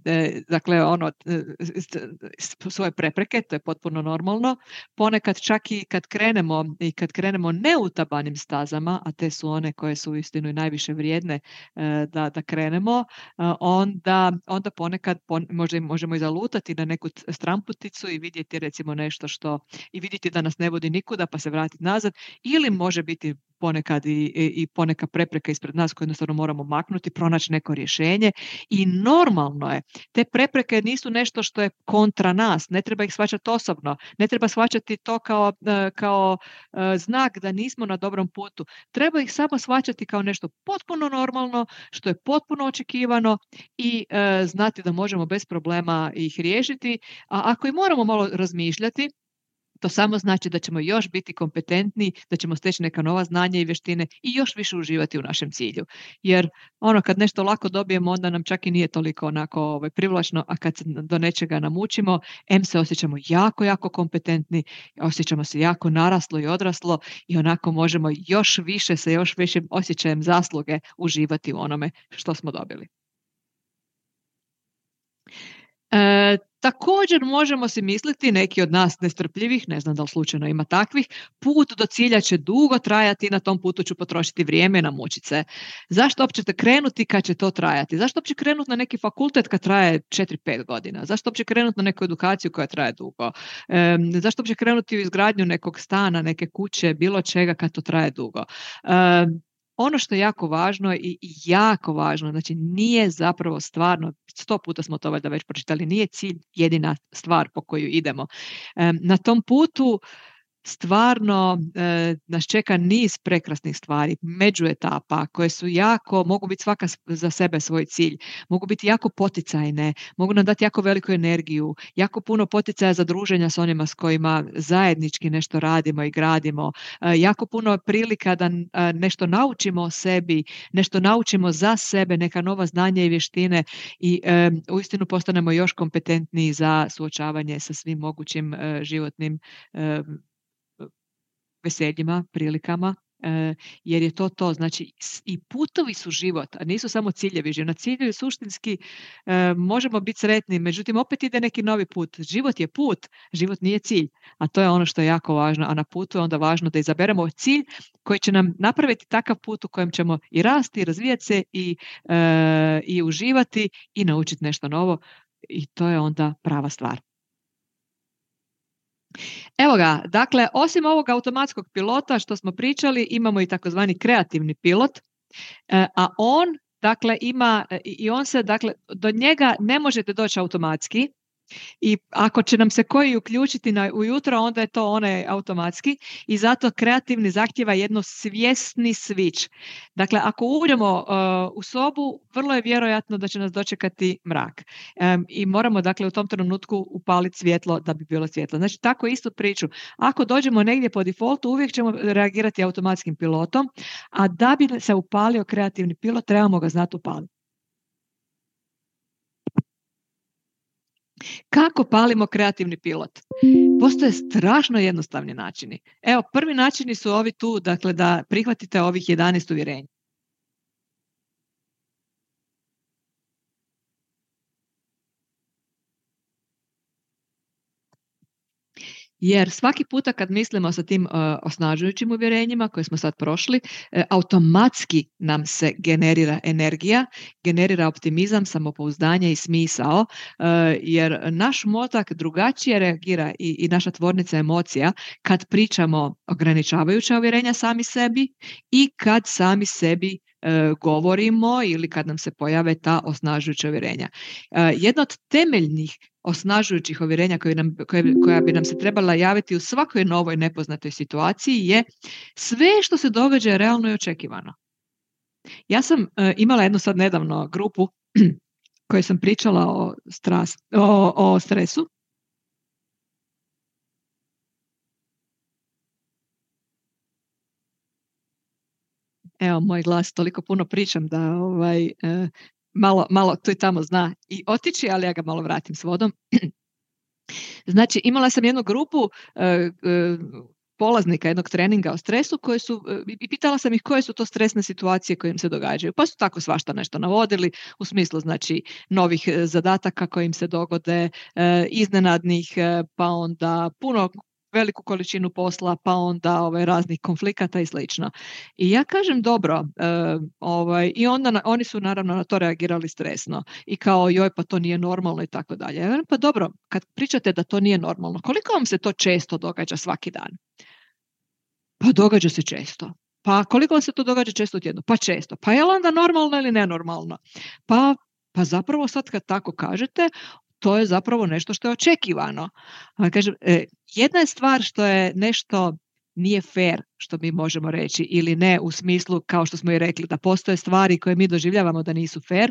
dakle, ono, svoje prepreke, to je potpuno normalno. Ponekad čak i kad krenemo i kad krenemo neutabanim stazama, a te su one koje su uistinu i najviše vrijedne da, da krenemo, onda, onda ponekad pon, možda možemo i zalutati na neku stramputicu i vidjeti recimo nešto što, i vidjeti da nas ne vodi nikuda pa se vratiti nazad, ili može biti ponekad i, i, i poneka prepreka ispred nas koju jednostavno moramo maknuti, pronaći neko rješenje i normalno je. Te prepreke nisu nešto što je kontra nas, ne treba ih shvaćati osobno, ne treba shvaćati to kao, kao znak da nismo na dobrom putu. Treba ih samo shvaćati kao nešto potpuno normalno, što je potpuno očekivano i e, znati da možemo bez problema ih riješiti, a ako i moramo malo razmišljati, to samo znači da ćemo još biti kompetentni, da ćemo steći neka nova znanja i vještine i još više uživati u našem cilju. Jer ono kad nešto lako dobijemo, onda nam čak i nije toliko onako ovaj, privlačno, a kad se do nečega namučimo, em se osjećamo jako, jako kompetentni, osjećamo se jako naraslo i odraslo i onako možemo još više sa još većim osjećajem zasluge uživati u onome što smo dobili. E, također možemo si misliti, neki od nas nestrpljivih, ne znam da li slučajno ima takvih, put do cilja će dugo trajati i na tom putu ću potrošiti vrijeme i namučiti se. Zašto uopće krenuti kad će to trajati? Zašto uopće krenuti na neki fakultet kad traje četiri pet godina? Zašto uopće krenuti na neku edukaciju koja traje dugo? E, zašto uopće krenuti u izgradnju nekog stana, neke kuće, bilo čega kad to traje dugo? E, Ono što je jako važno i jako važno, znači nije zapravo stvarno, sto puta smo to valjda već pročitali, nije cilj jedina stvar po koju idemo. Na tom putu stvarno e, nas čeka niz prekrasnih stvari, međuetapa koje su jako, mogu biti svaka za sebe svoj cilj, mogu biti jako poticajne, mogu nam dati jako veliku energiju, jako puno poticaja za druženja s onima s kojima zajednički nešto radimo i gradimo, e, jako puno prilika da e, nešto naučimo o sebi, nešto naučimo za sebe, neka nova znanja i vještine i e, uistinu postanemo još kompetentniji za suočavanje sa svim mogućim e, životnim e, veseljima, prilikama, e, jer je to to. Znači, i putovi su život, a nisu samo ciljevi. Na ciljevi suštinski e, možemo biti sretni, međutim, opet ide neki novi put. Život je put, život nije cilj, a to je ono što je jako važno, a na putu je onda važno da izaberemo cilj koji će nam napraviti takav put u kojem ćemo i rasti, i razvijati se, i, e, i uživati, i naučiti nešto novo, i to je onda prava stvar. Evo ga, dakle, osim ovog automatskog pilota što smo pričali, imamo i takozvani kreativni pilot, a on, dakle, ima, i on se, dakle, do njega ne možete doći automatski, i ako će nam se koji uključiti na ujutro, onda je to onaj automatski i zato kreativni zahtjeva jedno svjesni switch. Dakle, ako uđemo uh, u sobu, vrlo je vjerojatno da će nas dočekati mrak. Um, I moramo, dakle, u tom trenutku upaliti svjetlo da bi bilo svjetlo. Znači, tako istu priču. Ako dođemo negdje po defaultu, uvijek ćemo reagirati automatskim pilotom, a da bi se upalio kreativni pilot, trebamo ga znati upaliti. Kako palimo kreativni pilot? Postoje strašno jednostavni načini. Evo, prvi načini su ovi tu, dakle, da prihvatite ovih jedanaest uvjerenja. Jer svaki puta kad mislimo sa tim uh, osnažujućim uvjerenjima koje smo sad prošli, uh, automatski nam se generira energija, generira optimizam, samopouzdanje i smisao, uh, jer naš mozak drugačije reagira i, i naša tvornica emocija kad pričamo ograničavajuća uvjerenja sami sebi i kad sami sebi uh, govorimo ili kad nam se pojave ta osnažujuća uvjerenja. Uh, jedna od temeljnih osnažujućih uvjerenja koje nam, koje, koja bi nam se trebala javiti u svakoj novoj nepoznatoj situaciji je sve što se događa je realno i očekivano. Ja sam uh, imala jednu sad nedavno grupu koju sam pričala o, stras, o, o stresu. Evo, moj glas, toliko puno pričam da ovaj, uh, malo, malo tu i tamo zna i otići, ali ja ga malo vratim s vodom. Znači, imala sam jednu grupu uh, uh, polaznika jednog treninga o stresu koji su, uh, i pitala sam ih koje su to stresne situacije koje im se događaju. Pa su tako svašta nešto navodili u smislu, znači, novih uh, zadataka koji im se dogode, uh, iznenadnih, uh, pa onda puno veliku količinu posla, pa onda ovaj, raznih konflikata i slično. I ja kažem dobro, uh, ovaj, i onda na, oni su naravno na to reagirali stresno i kao joj pa to nije normalno i tako dalje. Pa dobro, kad pričate da to nije normalno, koliko vam se to često događa svaki dan? Pa događa se često. Pa koliko vam se to događa često u tjednu? Pa često. Pa je li onda normalno ili nenormalno? Pa, pa zapravo sad kad tako kažete, to je zapravo nešto što je očekivano. A kažem, e, jedna je stvar što je nešto nije fair, što mi možemo reći, ili ne u smislu, kao što smo i rekli, da postoje stvari koje mi doživljavamo da nisu fair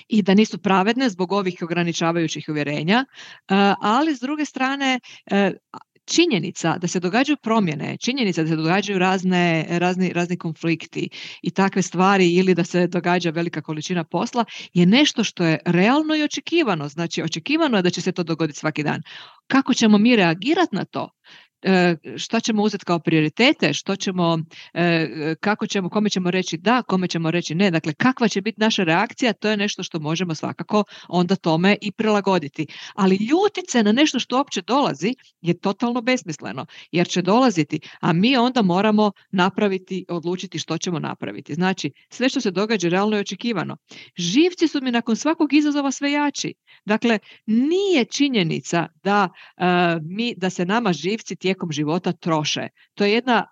i da nisu pravedne zbog ovih ograničavajućih uvjerenja, ali s druge strane činjenica da se događaju promjene, činjenica da se događaju razne, razni, razni konflikti i takve stvari ili da se događa velika količina posla je nešto što je realno i očekivano. Znači, očekivano je da će se to dogoditi svaki dan. Kako ćemo mi reagirati na to? Šta ćemo uzeti kao prioritete, što ćemo, kako ćemo, kome ćemo reći da, kome ćemo reći ne. Dakle, kakva će biti naša reakcija, to je nešto što možemo svakako onda tome i prilagoditi. Ali ljutit se na nešto što uopće dolazi je totalno besmisleno, jer će dolaziti, a mi onda moramo napraviti, odlučiti što ćemo napraviti. Znači, sve što se događa realno je očekivano. Živci su mi nakon svakog izazova sve jači. Dakle, nije činjenica da, uh, mi, da se nama živci tijekom života troše. To je jedna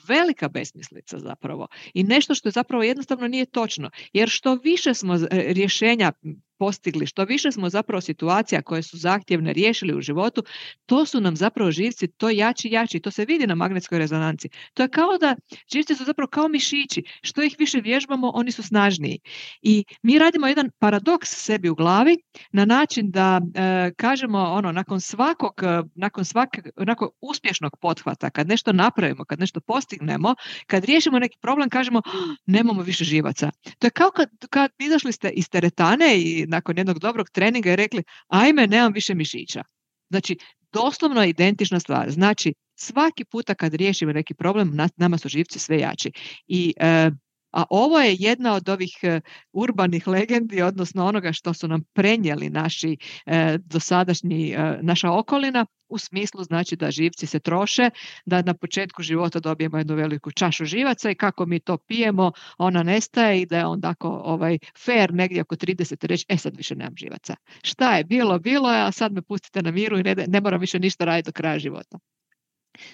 velika besmislica zapravo i nešto što zapravo jednostavno nije točno, jer što više smo rješenja postigli, što više smo zapravo situacija koje su zahtjevne riješili u životu, to su nam zapravo živci to jači jači, to se vidi na magnetskoj rezonanci. To je kao da živci su zapravo kao mišići, što ih više vježbamo, oni su snažniji. I mi radimo jedan paradoks sebi u glavi na način da e, kažemo ono, nakon svakog, nakon svakog, nakon uspješnog pothvata, kad nešto napravimo, kad nešto postignemo, kad riješimo neki problem, kažemo nemamo više živaca. To je kao kad, kad izašli ste iz teretane i nakon jednog dobrog treninga i rekli ajme, nemam više mišića. Znači, doslovno je identična stvar. Znači, svaki puta kad riješimo neki problem, nama su živci sve jači. I, e, a ovo je jedna od ovih e, urbanih legendi, odnosno onoga što su nam prenijeli naši e, dosadašnji, e, naša okolina, u smislu znači da živci se troše, da na početku života dobijemo jednu veliku čašu živaca i kako mi to pijemo, ona nestaje i da je onda ako ovaj, fair negdje oko trideset reći, e sad više nemam živaca. Šta je bilo, bilo je, a sad me pustite na miru i ne, ne moram više ništa raditi do kraja života.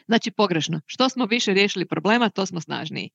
Znači pogrešno. Što smo više riješili problema, to smo snažniji.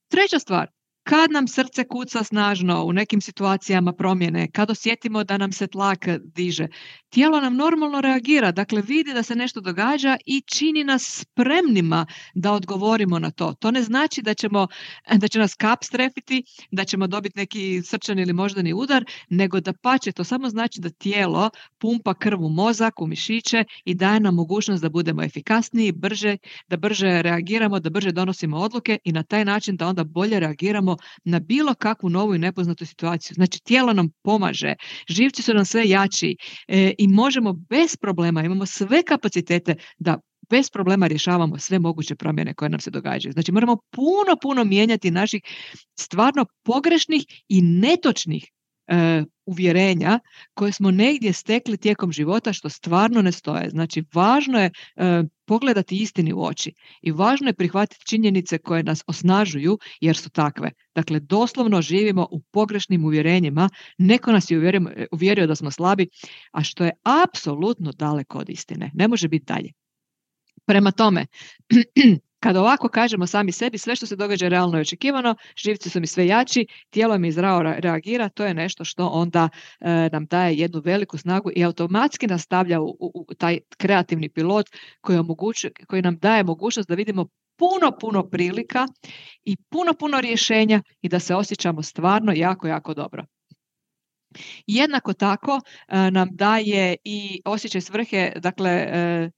Treća stvar, kad nam srce kuca snažno u nekim situacijama promjene, kad osjetimo da nam se tlak diže, tijelo nam normalno reagira, dakle vidi da se nešto događa i čini nas spremnima da odgovorimo na to. To ne znači da, ćemo, da će nas kap strefiti, da ćemo dobiti neki srčani ili moždani udar, nego da pače, to samo znači da tijelo pumpa krv u mozak, u mišiće i daje nam mogućnost da budemo efikasniji, brže, da brže reagiramo, da brže donosimo odluke i na taj način da onda bolje reagiramo na bilo kakvu novu i nepoznatu situaciju. Znači, tijelo nam pomaže, živci su nam sve jači e, i možemo bez problema, imamo sve kapacitete da bez problema rješavamo sve moguće promjene koje nam se događaju. Znači, moramo puno, puno mijenjati naših stvarno pogrešnih i netočnih e, uvjerenja koje smo negdje stekli tijekom života što stvarno ne stoje. Znači, važno je e, pogledati istini u oči i važno je prihvatiti činjenice koje nas osnažuju jer su takve. Dakle, doslovno živimo u pogrešnim uvjerenjima, neko nas je uvjerio, uvjerio da smo slabi, a što je apsolutno daleko od istine. Ne može biti dalje. Prema tome, kad ovako kažemo sami sebi, sve što se događa je realno i očekivano, živci su mi sve jači, tijelo mi zdravo reagira, to je nešto što onda e, nam daje jednu veliku snagu i automatski nas stavlja u, u, u taj kreativni pilot koji, omogućuje, koji nam daje mogućnost da vidimo puno, puno prilika i puno, puno rješenja i da se osjećamo stvarno jako, jako dobro. Jednako tako e, nam daje i osjećaj svrhe, dakle, e,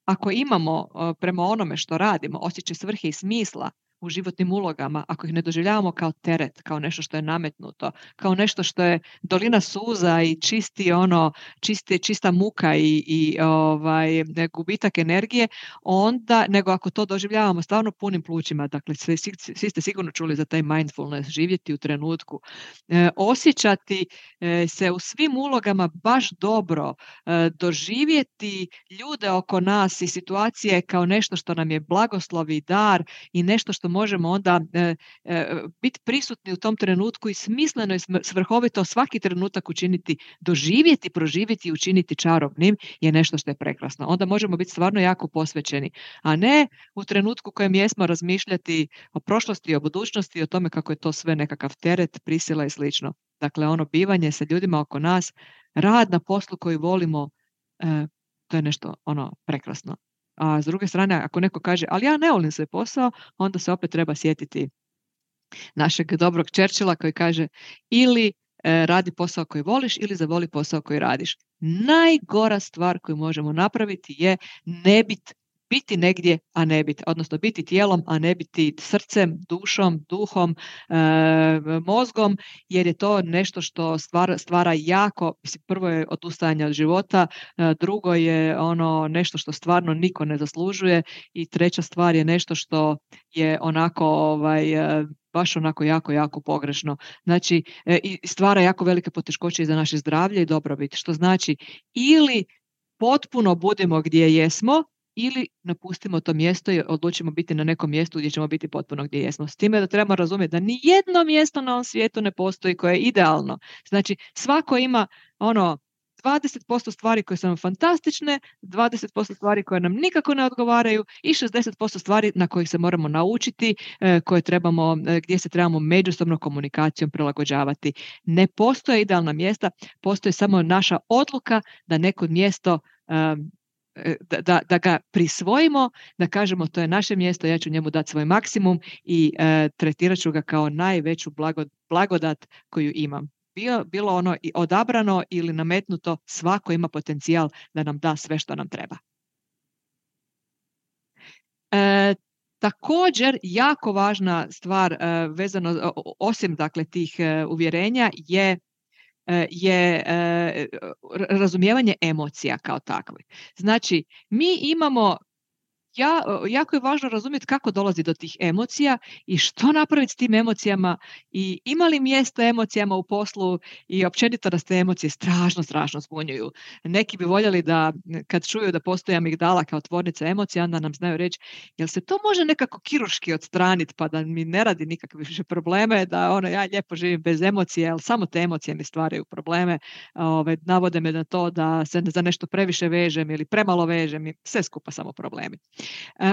ako imamo prema onome što radimo osjećaj svrhe i smisla u životnim ulogama, ako ih ne doživljavamo kao teret, kao nešto što je nametnuto, kao nešto što je dolina suza i čisti ono, čisti, čista muka i, i ovaj, gubitak energije, onda, nego ako to doživljavamo stvarno punim plućima, dakle svi, svi ste sigurno čuli za taj mindfulness, živjeti u trenutku, e, osjećati e, se u svim ulogama baš dobro, e, doživjeti ljude oko nas i situacije kao nešto što nam je blagoslov i dar i nešto što možemo onda e, e, biti prisutni u tom trenutku i smisleno i svrhovito svaki trenutak učiniti, doživjeti, proživjeti i učiniti čarobnim je nešto što je prekrasno. Onda možemo biti stvarno jako posvećeni, a ne u trenutku u kojem jesmo razmišljati o prošlosti, o budućnosti, o tome kako je to sve nekakav teret, prisila i slično. Dakle, ono bivanje sa ljudima oko nas, rad na poslu koji volimo, e, to je nešto ono prekrasno. A s druge strane, ako neko kaže, ali ja ne volim svoj posao, onda se opet treba sjetiti našeg dobrog Churchilla koji kaže, ili e, radi posao koji voliš ili zavoli posao koji radiš. Najgora stvar koju možemo napraviti je ne biti biti negdje, a ne biti, odnosno biti tijelom, a ne biti srcem, dušom, duhom, e, mozgom, jer je to nešto što stvara, stvara jako, mislim, prvo je odustajanje od života, e, drugo je ono nešto što stvarno niko ne zaslužuje i treća stvar je nešto što je onako ovaj, e, baš onako jako, jako pogrešno. Znači, e, i stvara jako velike poteškoće i za naše zdravlje i dobrobit, što znači ili potpuno budemo gdje jesmo, ili napustimo to mjesto i odlučimo biti na nekom mjestu gdje ćemo biti potpuno gdje jesmo. S time da trebamo razumjeti da ni jedno mjesto na ovom svijetu ne postoji koje je idealno. Znači, svako ima ono dvadeset posto stvari koje su nam fantastične, dvadeset posto stvari koje nam nikako ne odgovaraju i šezdeset posto stvari na kojih se moramo naučiti, koje trebamo, gdje se trebamo međusobno komunikacijom prilagođavati. Ne postoje idealna mjesta, postoji samo naša odluka da neko mjesto Da, da, da ga prisvojimo, da kažemo to je naše mjesto, ja ću njemu dati svoj maksimum i e, tretirat ću ga kao najveću blago, blagodat koju imam. Bilo, bilo ono i odabrano ili nametnuto, svako ima potencijal da nam da sve što nam treba. E, također, jako važna stvar e, vezano, osim dakle tih e, uvjerenja je je razumijevanje emocija kao takve. Znači, mi imamo, ja, jako je važno razumjeti kako dolazi do tih emocija i što napraviti s tim emocijama i ima li mjesta emocijama u poslu i općenito da te emocije strašno, strašno zbunjuju. Neki bi voljeli da kad čuju da postoji amigdala kao tvornica emocija, onda nam znaju reći, jel se to može nekako kirurški odstraniti pa da mi ne radi nikakve više probleme, da ono, ja lijepo živim bez emocije, ali samo te emocije mi stvaraju probleme. Ove, navode me na to da se za nešto previše vežem ili premalo vežem i sve skupa samo problemi.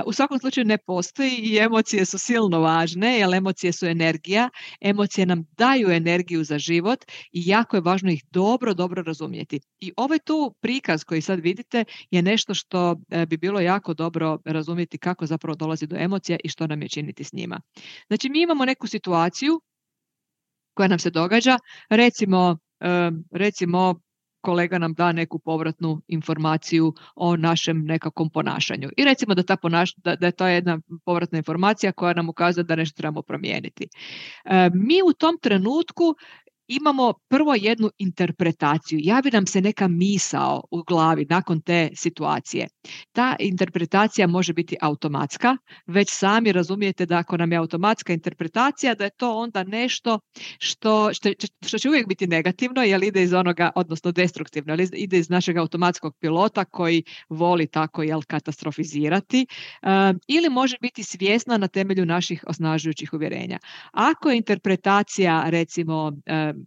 U svakom slučaju ne postoji i emocije su silno važne, jer emocije su energija, emocije nam daju energiju za život i jako je važno ih dobro, dobro razumjeti. I ovaj tu prikaz koji sad vidite je nešto što bi bilo jako dobro razumjeti kako zapravo dolazi do emocija i što nam je činiti s njima. Znači, mi imamo neku situaciju koja nam se događa, recimo, recimo kolega nam da neku povratnu informaciju o našem nekakvom ponašanju. I recimo da, ta ponaš, da, da je to jedna povratna informacija koja nam ukazuje da nešto trebamo promijeniti. E, mi u tom trenutku imamo prvo jednu interpretaciju. Javi nam se neka misao u glavi nakon te situacije. Ta interpretacija može biti automatska, već sami razumijete da ako nam je automatska interpretacija, da je to onda nešto što, što, što će uvijek biti negativno, jer ide iz onoga, odnosno destruktivno, jer ide iz našeg automatskog pilota koji voli tako jel, katastrofizirati, um, ili može biti svjesna na temelju naših osnažujućih uvjerenja. Ako je interpretacija, recimo, um,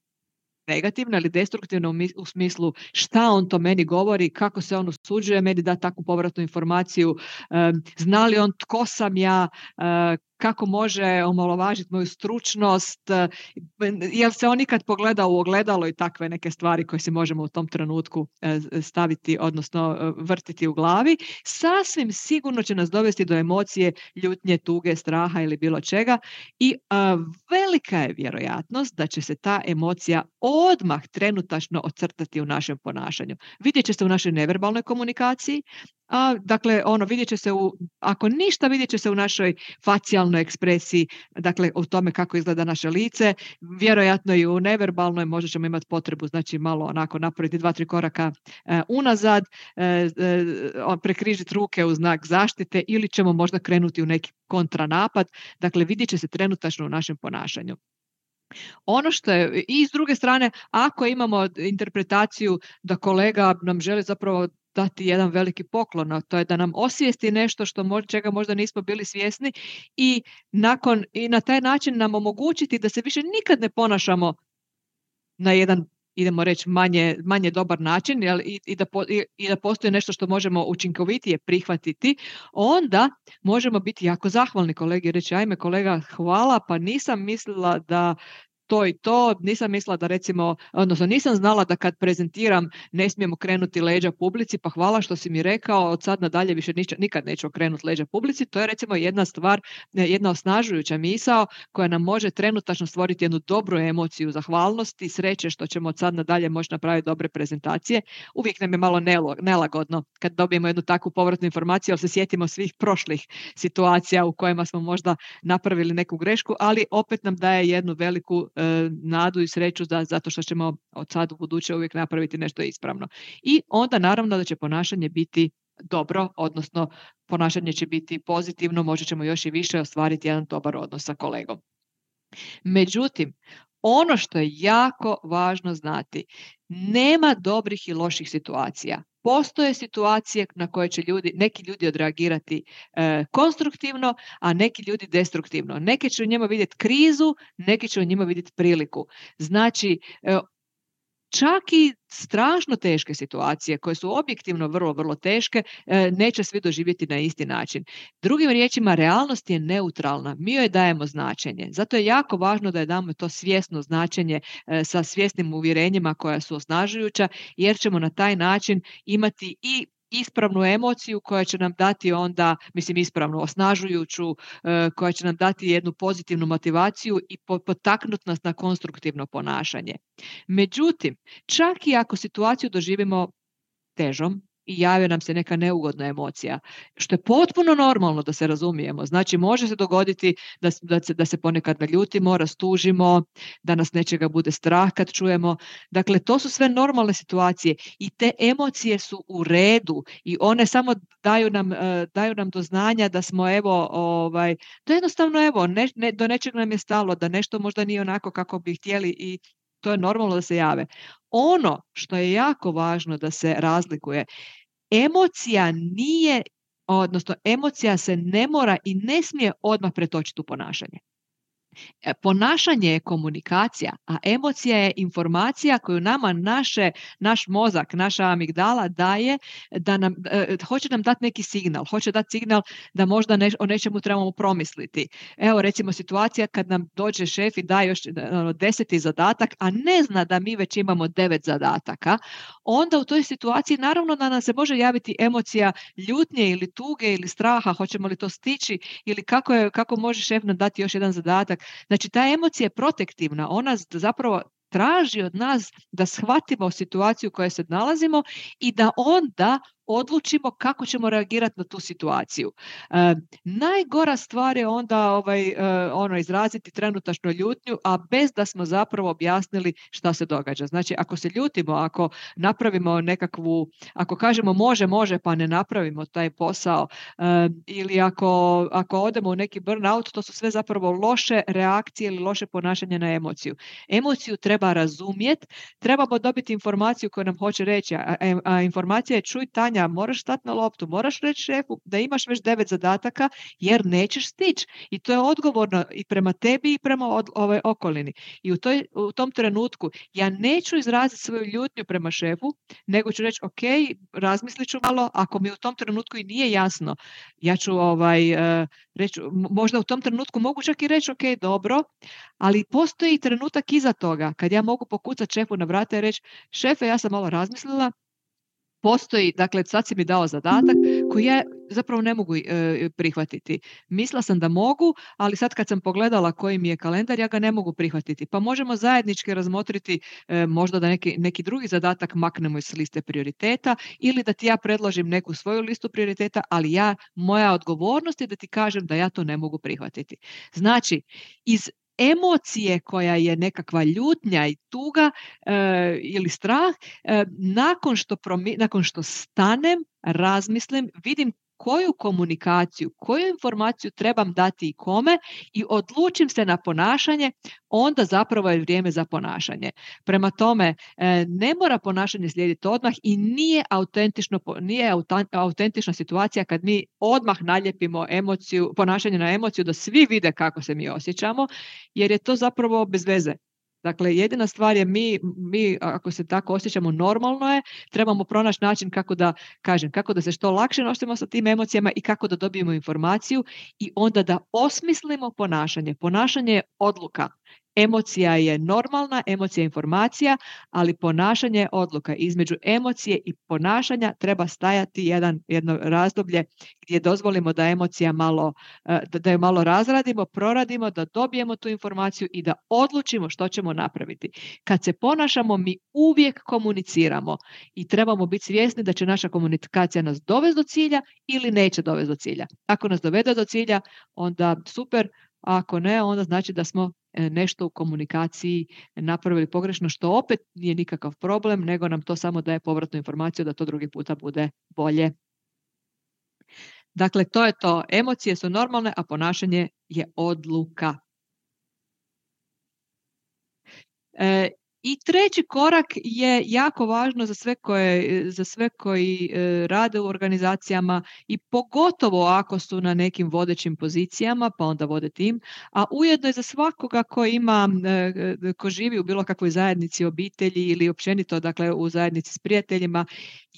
negativno ili destruktivno u smislu šta on to meni govori, kako se on usuđuje meni da takvu povratnu informaciju, zna li on tko sam ja, kako može omalovažiti moju stručnost, jel se on ikad pogleda u ogledalo i takve neke stvari koje si možemo u tom trenutku staviti, odnosno vrtiti u glavi, sasvim sigurno će nas dovesti do emocije, ljutnje, tuge, straha ili bilo čega i a, velika je vjerojatnost da će se ta emocija odmah trenutačno ocrtati u našem ponašanju. Vidjet će se u našoj neverbalnoj komunikaciji, a, dakle, ono, vidjet će se u, ako ništa, vidjet će se u našoj facijalnoj ekspresiji, dakle, u tome kako izgleda naše lice, vjerojatno i u neverbalnoj, možda ćemo imati potrebu, znači, malo onako napraviti dva, tri koraka e, unazad, e, e, prekrižiti ruke u znak zaštite ili ćemo možda krenuti u neki kontranapad, dakle, vidjet će se trenutačno u našem ponašanju. Ono što je i s druge strane, ako imamo interpretaciju da kolega nam želi zapravo dati jedan veliki poklon, a to je da nam osvijesti nešto što mo čega možda nismo bili svjesni i nakon i na taj način nam omogućiti da se više nikad ne ponašamo na jedan, idemo reći, manje, manje dobar način, jel, i, i, da po, i, i da postoji nešto što možemo učinkovitije prihvatiti, onda možemo biti jako zahvalni kolegi i reći, ajme kolega, hvala, pa nisam mislila da to i to, nisam mislila da recimo, odnosno nisam znala da kad prezentiram ne smijem okrenuti leđa publici, pa hvala što si mi rekao, od sad nadalje više nič, nikad neću okrenuti leđa publici. To je recimo jedna stvar, jedna osnažujuća misao koja nam može trenutačno stvoriti jednu dobru emociju zahvalnosti, sreće što ćemo od sad nadalje moći napraviti dobre prezentacije. Uvijek nam je malo nelagodno kad dobijemo jednu takvu povratnu informaciju, ali se sjetimo svih prošlih situacija u kojima smo možda napravili neku grešku, ali opet nam daje jednu veliku nadu i sreću da, zato što ćemo od sad u buduće uvijek napraviti nešto ispravno. I onda naravno da će ponašanje biti dobro, odnosno ponašanje će biti pozitivno, možda ćemo još i više ostvariti jedan dobar odnos sa kolegom. Međutim, ono što je jako važno znati, nema dobrih i loših situacija. Postoje situacije na koje će ljudi, neki ljudi odreagirati e, konstruktivno, a neki ljudi destruktivno. Neki će u njima vidjeti krizu, neki će u njima vidjeti priliku. Znači, e, čak i strašno teške situacije koje su objektivno vrlo, vrlo teške, e, neće svi doživjeti na isti način. Drugim riječima, realnost je neutralna. Mi joj dajemo značenje. Zato je jako važno da je damo to svjesno značenje e, sa svjesnim uvjerenjima koja su osnažujuća, jer ćemo na taj način imati i ispravnu emociju koja će nam dati onda, mislim ispravnu, osnažujuću, koja će nam dati jednu pozitivnu motivaciju i potaknuti nas na konstruktivno ponašanje. Međutim, čak i ako situaciju doživimo težom i javi nam se neka neugodna emocija, što je potpuno normalno, da se razumijemo. Znači, može se dogoditi da, da, se, da se ponekad naljutimo, rastužimo, da nas nečega bude strah kad čujemo. Dakle, to su sve normalne situacije i te emocije su u redu i one samo daju nam, daju nam do znanja da smo, evo, ovaj, da jednostavno, evo, ne, ne, do nečeg nam je stalo, da nešto možda nije onako kako bi htjeli i to je normalno da se jave. Ono što je jako važno da se razlikuje, emocija nije, odnosno emocija se ne mora i ne smije odmah pretočiti u ponašanje. Ponašanje je komunikacija, a emocija je informacija koju nama naše, naš mozak, naša amigdala daje, da nam, e, hoće nam dati neki signal, hoće dati signal da možda ne, o nečemu trebamo promisliti. Evo recimo situacija kad nam dođe šef i daje još ono, deseti zadatak, a ne zna da mi već imamo devet zadataka, onda u toj situaciji naravno da nam se može javiti emocija ljutnje ili tuge ili straha, hoćemo li to stići ili kako, je, kako može šef nam dati još jedan zadatak. Znači, ta emocija je protektivna, ona zapravo traži od nas da shvatimo situaciju u kojoj se nalazimo i da onda odlučimo kako ćemo reagirati na tu situaciju. E, najgora stvar je onda ovaj, e, ono, izraziti trenutačnu ljutnju, a bez da smo zapravo objasnili šta se događa. Znači, ako se ljutimo, ako napravimo nekakvu, ako kažemo može, može, pa ne napravimo taj posao, e, ili ako, ako odemo u neki burnout, to su sve zapravo loše reakcije ili loše ponašanje na emociju. Emociju treba razumjeti, trebamo dobiti informaciju koju nam hoće reći, a, a, a informacija je čuj Tanja, moraš stati na loptu, moraš reći šefu da imaš već devet zadataka jer nećeš stići. I to je odgovorno i prema tebi i prema od, ove okolini. I u, toj, u tom trenutku ja neću izraziti svoju ljutnju prema šefu, nego ću reći ok, razmislit ću malo, ako mi u tom trenutku i nije jasno, ja ću ovaj, uh, reći, možda u tom trenutku mogu čak i reći ok, dobro, ali postoji trenutak iza toga kad ja mogu pokucati šefu na vrata i reći šefe, ja sam malo razmislila, postoji, dakle, sad si mi dao zadatak koji ja zapravo ne mogu e, prihvatiti. Mislila sam da mogu, ali sad kad sam pogledala koji mi je kalendar, ja ga ne mogu prihvatiti. Pa možemo zajednički razmotriti e, možda da neki, neki drugi zadatak maknemo iz liste prioriteta ili da ti ja predložim neku svoju listu prioriteta, ali ja, moja odgovornost je da ti kažem da ja to ne mogu prihvatiti. Znači, iz emocije koja je nekakva ljutnja i tuga e, ili strah, e, nakon, što promi, nakon što stanem, razmislim, vidim koju komunikaciju, koju informaciju trebam dati i kome i odlučim se na ponašanje, onda zapravo je vrijeme za ponašanje. Prema tome, e, ne mora ponašanje slijediti odmah i nije autentično, nije autentična situacija kad mi odmah naljepimo emociju, ponašanje na emociju da svi vide kako se mi osjećamo, jer je to zapravo bez veze. Dakle, jedina stvar je mi, mi ako se tako osjećamo normalno je, trebamo pronaći način kako da, kažem, kako da se što lakše nosimo sa tim emocijama i kako da dobijemo informaciju i onda da osmislimo ponašanje. Ponašanje je odluka. Emocija je normalna, emocija je informacija, ali ponašanje je odluka. Između emocije i ponašanja treba stajati jedan, jedno razdoblje gdje dozvolimo da emocija malo, da, da ju malo razradimo, proradimo, da dobijemo tu informaciju i da odlučimo što ćemo napraviti. Kad se ponašamo, mi uvijek komuniciramo i trebamo biti svjesni da će naša komunikacija nas dovesti do cilja ili neće dovesti do cilja. Ako nas dovede do cilja, onda super, a ako ne, onda znači da smo nešto u komunikaciji napravili pogrešno, što opet nije nikakav problem, nego nam to samo daje povratnu informaciju da to drugi puta bude bolje. Dakle, to je to. Emocije su normalne, a ponašanje je odluka. E, I treći korak je jako važno za sve, koje, za sve koji e, rade u organizacijama i pogotovo ako su na nekim vodećim pozicijama, pa onda vode tim, a ujedno je za svakoga ko ima, e, ko živi u bilo kakvoj zajednici, obitelji ili općenito, dakle u zajednici s prijateljima,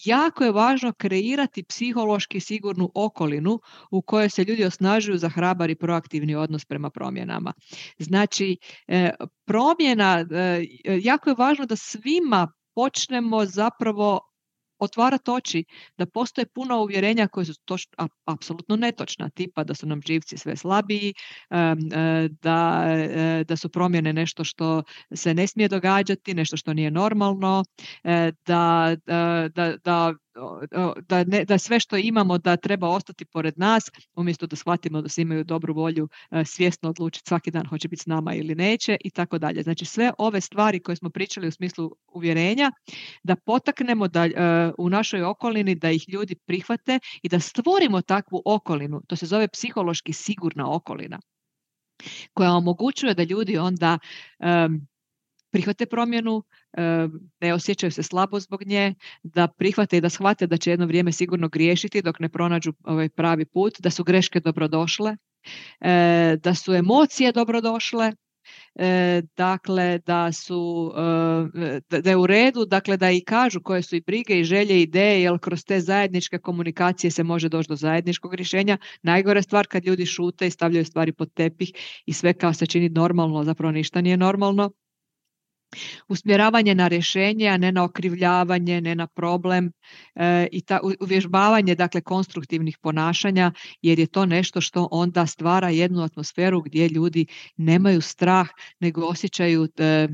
jako je važno kreirati psihološki sigurnu okolinu u kojoj se ljudi osnažuju za hrabar i proaktivni odnos prema promjenama. Znači, e, promjena, e, jako je važno da svima počnemo zapravo otvarati oči, da postoje puno uvjerenja koje su toč, a, apsolutno netočna, tipa da su nam živci sve slabiji, da, da su promjene nešto što se ne smije događati, nešto što nije normalno, da, da, da, da Da, ne, da sve što imamo da treba ostati pored nas, umjesto da shvatimo da svi imaju dobru volju svjesno odlučiti svaki dan hoće biti s nama ili neće i tako dalje. Znači sve ove stvari koje smo pričali u smislu uvjerenja, da potaknemo da u našoj okolini da ih ljudi prihvate i da stvorimo takvu okolinu. To se zove psihološki sigurna okolina koja omogućuje da ljudi onda um, prihvate promjenu, ne osjećaju se slabo zbog nje, da prihvate i da shvate da će jedno vrijeme sigurno griješiti dok ne pronađu ovaj pravi put, da su greške dobrodošle, da su emocije dobrodošle, dakle da su da je u redu, dakle da i kažu koje su i brige i želje i ideje, jer kroz te zajedničke komunikacije se može doći do zajedničkog rješenja. Najgore stvar kad ljudi šute i stavljaju stvari pod tepih i sve kao se čini normalno, zapravo ništa nije normalno. Usmjeravanje na rješenje, a ne na okrivljavanje, ne na problem e, i ta, uvježbavanje dakle konstruktivnih ponašanja, jer je to nešto što onda stvara jednu atmosferu gdje ljudi nemaju strah, nego osjećaju, e,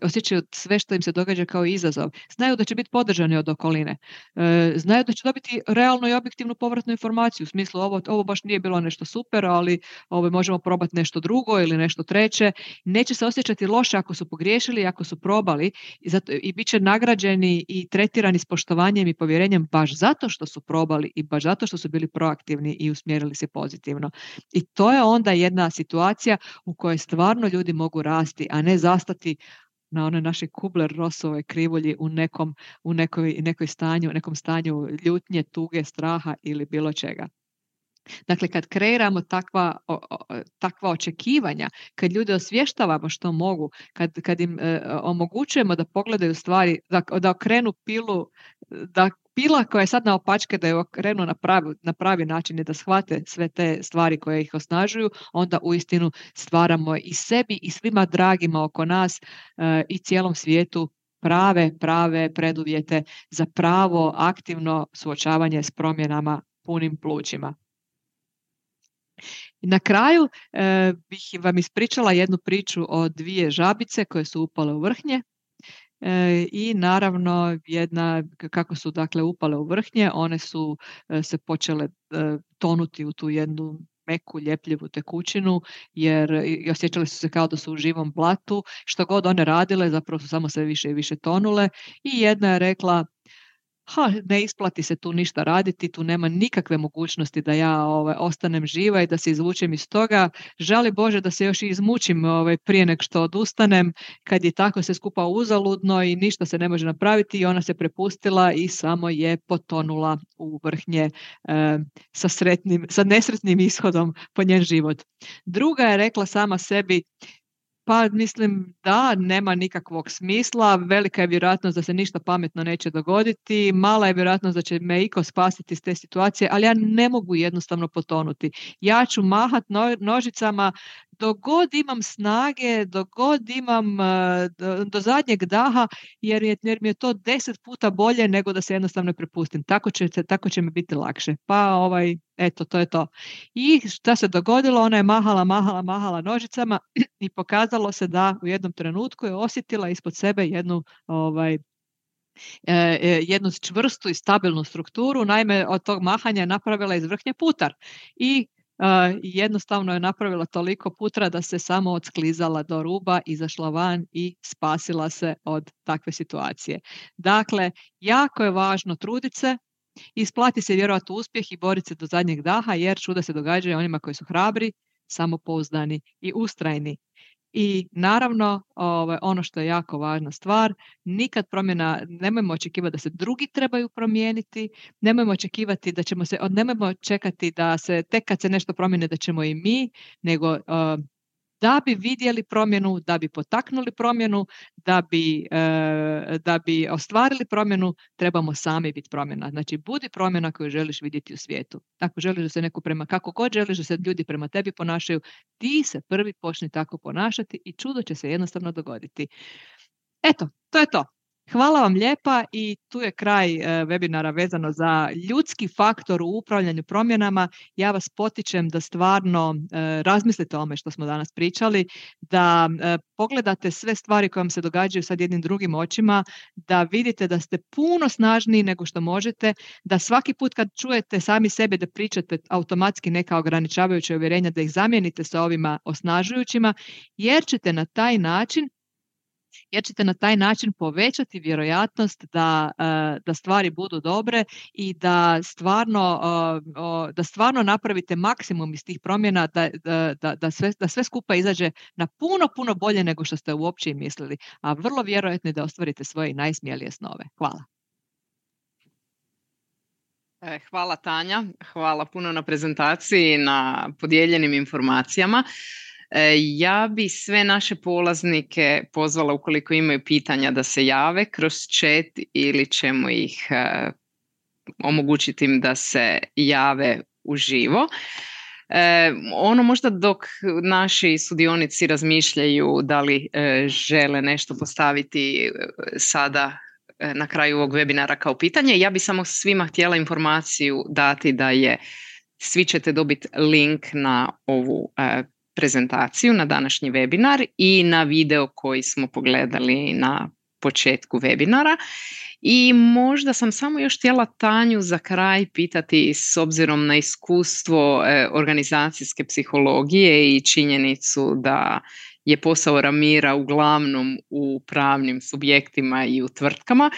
osjećaju sve što im se događa kao izazov. Znaju da će biti podržani od okoline. E, znaju da će dobiti realnu i objektivnu povratnu informaciju, u smislu ovo, ovo baš nije bilo nešto super, ali ovo možemo probati nešto drugo ili nešto treće. Neće se osjećati loše ako su pogriješili, ako su probali i, zato, i bit će nagrađeni i tretirani s poštovanjem i povjerenjem baš zato što su probali i baš zato što su bili proaktivni i usmjerili se pozitivno. I to je onda jedna situacija u kojoj stvarno ljudi mogu rasti, a ne zastati na onoj našoj Kubler-Rossovoj krivulji u nekom, u nekoj, nekoj stanju, nekom stanju ljutnje, tuge, straha ili bilo čega. Dakle, kad kreiramo takva, o, o, takva očekivanja, kad ljude osvještavamo što mogu, kad, kad im e, omogućujemo da pogledaju stvari, da, da okrenu pilu, da pila koja je sad na opačke, da ju okrenu na pravi, na pravi način i da shvate sve te stvari koje ih osnažuju, onda uistinu stvaramo i sebi i svima dragima oko nas e, i cijelom svijetu prave, prave preduvjete za pravo aktivno suočavanje s promjenama punim plućima. I na kraju e, bih vam ispričala jednu priču o dvije žabice koje su upale u vrhnje e, i naravno jedna, kako su dakle upale u vrhnje, one su e, se počele e, tonuti u tu jednu meku, ljepljivu tekućinu, jer i osjećale su se kao da su u živom blatu, što god one radile, zapravo su samo sve više i više tonule i jedna je rekla: ha, ne isplati se tu ništa raditi, tu nema nikakve mogućnosti da ja ovaj, ostanem živa i da se izvučem iz toga. Žali Bože da se još i izmučim ovaj, prije nego što odustanem, kad je tako se skupa uzaludno i ništa se ne može napraviti i ona se prepustila i samo je potonula u vrhnje e, sa, sretnim, sa nesretnim ishodom po njen život. Druga je rekla sama sebi, pa mislim da nema nikakvog smisla, velika je vjerojatnost da se ništa pametno neće dogoditi, mala je vjerojatnost da će me iko spasiti iz te situacije, ali ja ne mogu jednostavno potonuti. Ja ću mahat no, nožicama dok god imam snage, dok god imam do, do zadnjeg daha, jer, je, jer mi je to deset puta bolje nego da se jednostavno prepustim. Tako će, tako će mi biti lakše. Pa ovaj, eto, to je to. I šta se dogodilo? Ona je mahala, mahala, mahala nožicama i pokazalo se da u jednom trenutku je osjetila ispod sebe jednu ovaj, jednu čvrstu i stabilnu strukturu. Naime, od tog mahanja je napravila iz vrhnje putar. I Uh, jednostavno je napravila toliko putra da se samo odsklizala do ruba, izašla van i spasila se od takve situacije. Dakle, jako je važno truditi se, isplati se vjerovati u uspjeh i boriti se do zadnjeg daha, jer čuda se događaju onima koji su hrabri, samopouzdani i ustrajni. I naravno, ovaj, ono što je jako važna stvar, nikad promjena, nemojmo očekivati da se drugi trebaju promijeniti, nemojmo očekivati da ćemo se, nemojmo čekati da se tek kad se nešto promijene da ćemo i mi, nego uh, da bi vidjeli promjenu, da bi potaknuli promjenu, da bi, uh, da bi ostvarili promjenu, trebamo sami biti promjena. Znači, budi promjena koju želiš vidjeti u svijetu. Ako želiš da se neko prema, kako god želiš da se ljudi prema tebi ponašaju, ti se prvi počni tako ponašati i čudo će se jednostavno dogoditi. Eto, to je to. Hvala vam lijepa i tu je kraj e, webinara vezano za ljudski faktor u upravljanju promjenama. Ja vas potičem da stvarno e, razmislite o ome što smo danas pričali, da e, pogledate sve stvari koje vam se događaju sad jednim drugim očima, da vidite da ste puno snažniji nego što možete, da svaki put kad čujete sami sebe da pričate automatski neka ograničavajuća uvjerenja, da ih zamijenite sa ovima osnažujućima, jer ćete na taj način jer ćete na taj način povećati vjerojatnost da, da stvari budu dobre i da stvarno, da stvarno napravite maksimum iz tih promjena, da, da, da, sve, da sve skupa izađe na puno, puno bolje nego što ste uopće i mislili, a vrlo vjerojatno je da ostvarite svoje najsmijelije snove. Hvala. Hvala Tanja, hvala puno na prezentaciji, na podijeljenim informacijama. Ja bi sve naše polaznike pozvala, ukoliko imaju pitanja, da se jave kroz chat ili ćemo ih uh, omogućiti im da se jave uživo. E, ono možda dok naši sudionici razmišljaju da li e, žele nešto postaviti sada e, na kraju ovog webinara kao pitanje, ja bi samo svima htjela informaciju dati da je, svi ćete dobiti link na ovu e, prezentaciju, na današnji webinar i na video koji smo pogledali na početku webinara. I možda sam samo još htjela Tanju za kraj pitati, s obzirom na iskustvo e, organizacijske psihologije i činjenicu da je posao Ramira uglavnom u pravnim subjektima i u tvrtkama,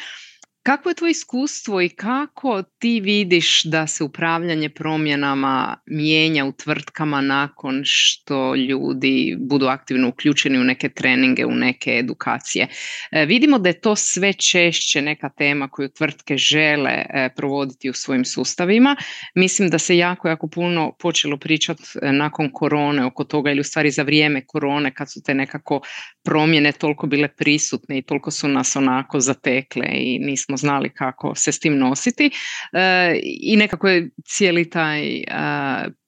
kako je tvoje iskustvo i kako ti vidiš da se upravljanje promjenama mijenja u tvrtkama nakon što ljudi budu aktivno uključeni u neke treninge, u neke edukacije? E, vidimo da je to sve češće neka tema koju tvrtke žele e, provoditi u svojim sustavima. Mislim da se jako, jako puno počelo pričati nakon korone oko toga, ili u stvari za vrijeme korone, kad su te nekako promjene toliko bile prisutne i toliko su nas onako zatekle i nismo znali kako se s tim nositi. E, I nekako je cijeli taj e,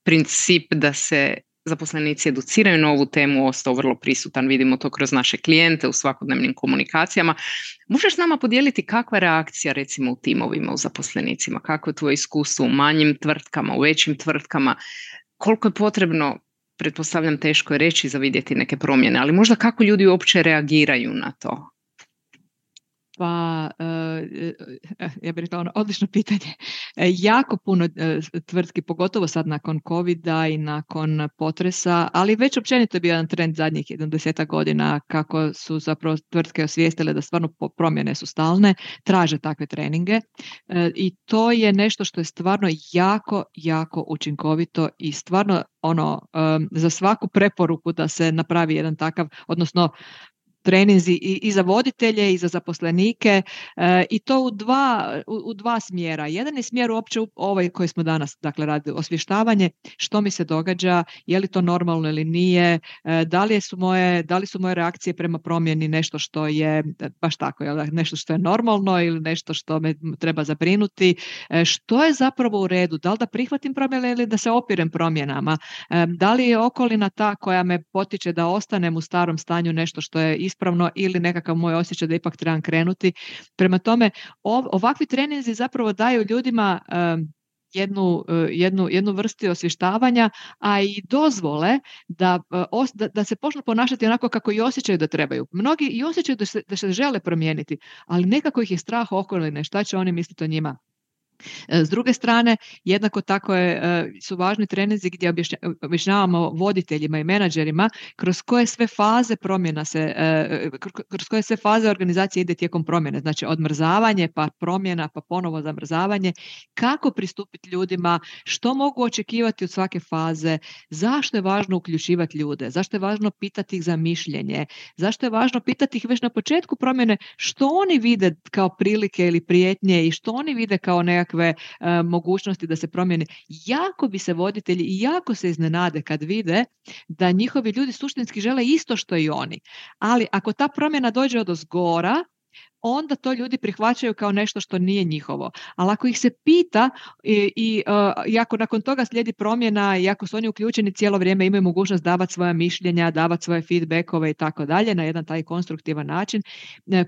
princip da se zaposlenici educiraju na ovu temu ostao vrlo prisutan. Vidimo to kroz naše klijente u svakodnevnim komunikacijama. Možeš s nama podijeliti kakva je reakcija recimo u timovima, u zaposlenicima? Kako je tvoje iskustvo u manjim tvrtkama, u većim tvrtkama? Koliko je potrebno, pretpostavljam teško je reći za vidjeti neke promjene, ali možda kako ljudi uopće reagiraju na to? Pa, ja bih rekla ono, odlično pitanje. Jako puno tvrtki, pogotovo sad nakon covida i nakon potresa, ali već općenito je bio jedan trend zadnjih jedan desetak godina kako su zapravo tvrtke osvijestile da stvarno promjene su stalne, traže takve treninge i to je nešto što je stvarno jako, jako učinkovito i stvarno ono, za svaku preporuku da se napravi jedan takav, odnosno treninzi i, i za voditelje i za zaposlenike e, i to u dva, u, u dva smjera. Jedan je smjer uopće ovaj koji smo danas dakle radili, osvještavanje što mi se događa, je li to normalno ili nije, e, da li su moje, da li su moje reakcije prema promjeni nešto što je baš tako, jel, nešto što je normalno ili nešto što me treba zabrinuti, e, što je zapravo u redu, da li da prihvatim promjene ili da se opirem promjenama, e, da li je okolina ta koja me potiče da ostanem u starom stanju nešto što je ispravno ili nekakav moj osjećaj da ipak trebam krenuti. Prema tome, ov, ovakvi treninzi zapravo daju ljudima um, jednu, uh, jednu, jednu vrstu osvještavanja, a i dozvole da, uh, os, da, da se počnu ponašati onako kako i osjećaju da trebaju. Mnogi i osjećaju da se, da se žele promijeniti, ali nekako ih je strah okoline, šta će oni misliti o njima. S druge strane, jednako tako je, su važni treninzi gdje objašnjavamo voditeljima i menadžerima kroz koje sve faze promjena se, kroz koje sve faze organizacije ide tijekom promjene, znači odmrzavanje, pa promjena, pa ponovo zamrzavanje, kako pristupiti ljudima, što mogu očekivati od svake faze, zašto je važno uključivati ljude, zašto je važno pitati ih za mišljenje, zašto je važno pitati ih već na početku promjene što oni vide kao prilike ili prijetnje i što oni vide kao nekakve uh, mogućnosti da se promijene. Jako bi se voditelji i jako se iznenade kad vide da njihovi ljudi suštinski žele isto što i oni. Ali ako ta promjena dođe odozgora, onda to ljudi prihvaćaju kao nešto što nije njihovo. Ali ako ih se pita i, i, uh, i ako nakon toga slijedi promjena i ako su oni uključeni cijelo vrijeme, imaju mogućnost davati svoja mišljenja, davati svoje feedbackove i tako dalje na jedan taj konstruktivan način,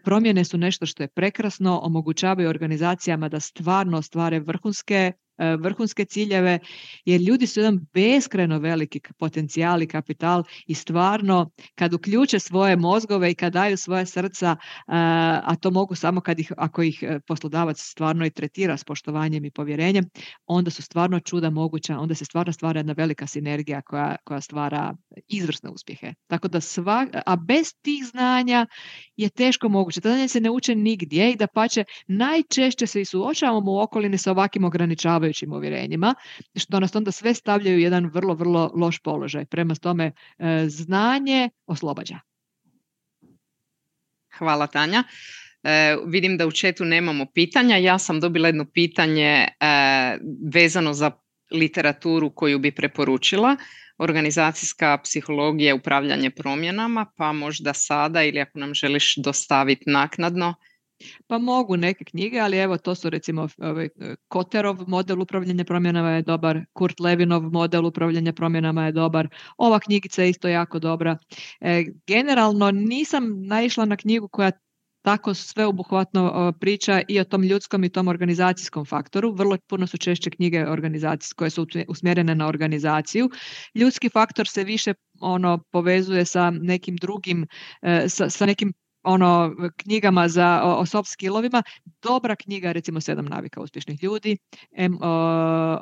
promjene su nešto što je prekrasno, omogućavaju organizacijama da stvarno ostvare vrhunske vrhunske ciljeve, jer ljudi su jedan beskrajno veliki potencijal i kapital i stvarno kad uključe svoje mozgove i kad daju svoje srca, a to mogu samo kad ih, ako ih poslodavac stvarno i tretira s poštovanjem i povjerenjem, onda su stvarno čuda moguća, onda se stvarno stvara jedna velika sinergija koja, koja stvara izvrsne uspjehe. Tako da sva, a bez tih znanja je teško moguće. To znanje se ne uče nigdje i dapače najčešće se i suočavamo u okolini sa ovakvim ograničavajućim uvjerenjima, što nas onda sve stavljaju u jedan vrlo, vrlo loš položaj. Prema tome, znanje oslobađa. Hvala, Tanja. E, vidim da u chatu nemamo pitanja. Ja sam dobila jedno pitanje e, vezano za literaturu koju bi preporučila. Organizacijska psihologija, upravljanje promjenama, pa možda sada ili ako nam želiš dostaviti naknadno. Pa mogu neke knjige, ali evo to su recimo ovaj, Kotterov model upravljanja promjenama je dobar, Kurt Levinov model upravljanja promjenama je dobar, ova knjigica je isto jako dobra. E, generalno nisam naišla na knjigu koja tako sveobuhvatno priča i o tom ljudskom i tom organizacijskom faktoru. Vrlo puno su češće knjige organizacijske koje su usmjerene na organizaciju. Ljudski faktor se više ono povezuje sa nekim drugim, sa, sa nekim ono knjigama za o, o soft skillovima. Dobra knjiga, recimo Sedam navika uspješnih ljudi em, o,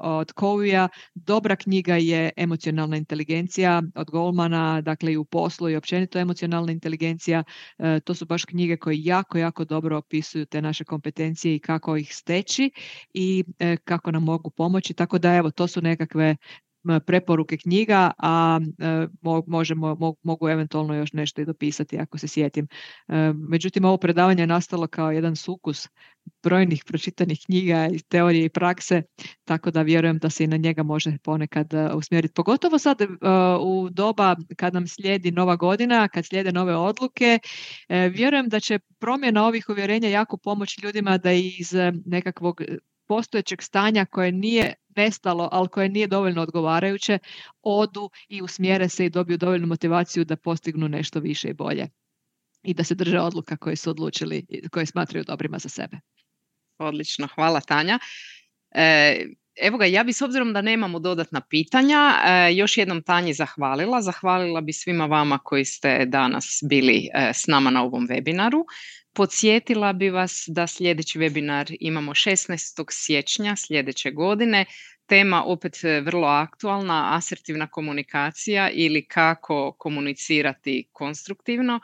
od Coveyja. Dobra knjiga je Emocionalna inteligencija od Goldmana, dakle i u poslu i općenito emocionalna inteligencija. E, to su baš knjige koje jako, jako dobro opisuju te naše kompetencije i kako ih steći i e, kako nam mogu pomoći. Tako da evo, to su nekakve preporuke knjiga, a e, možemo, mo, mogu eventualno još nešto i dopisati ako se sjetim. E, međutim, ovo predavanje je nastalo kao jedan sukus brojnih pročitanih knjiga iz teorije i prakse, tako da vjerujem da se i na njega može ponekad uh, usmjeriti. Pogotovo sad uh, u doba kad nam slijedi nova godina, kad slijede nove odluke, uh, vjerujem da će promjena ovih uvjerenja jako pomoći ljudima da iz uh, nekakvog postojećeg stanja koje nije nestalo, ali koje nije dovoljno odgovarajuće, odu i usmjere se i dobiju dovoljnu motivaciju da postignu nešto više i bolje. I da se drže odluka koje su odlučili, koje smatraju dobrima za sebe. Odlično, hvala Tanja. E, evo ga, ja bi s obzirom da nemamo dodatna pitanja, e, još jednom Tanji zahvalila. Zahvalila bi svima vama koji ste danas bili e, s nama na ovom webinaru. Podsjetila bi vas da sljedeći webinar imamo šesnaestog siječnja sljedeće godine. Tema opet vrlo aktualna, asertivna komunikacija ili kako komunicirati konstruktivno.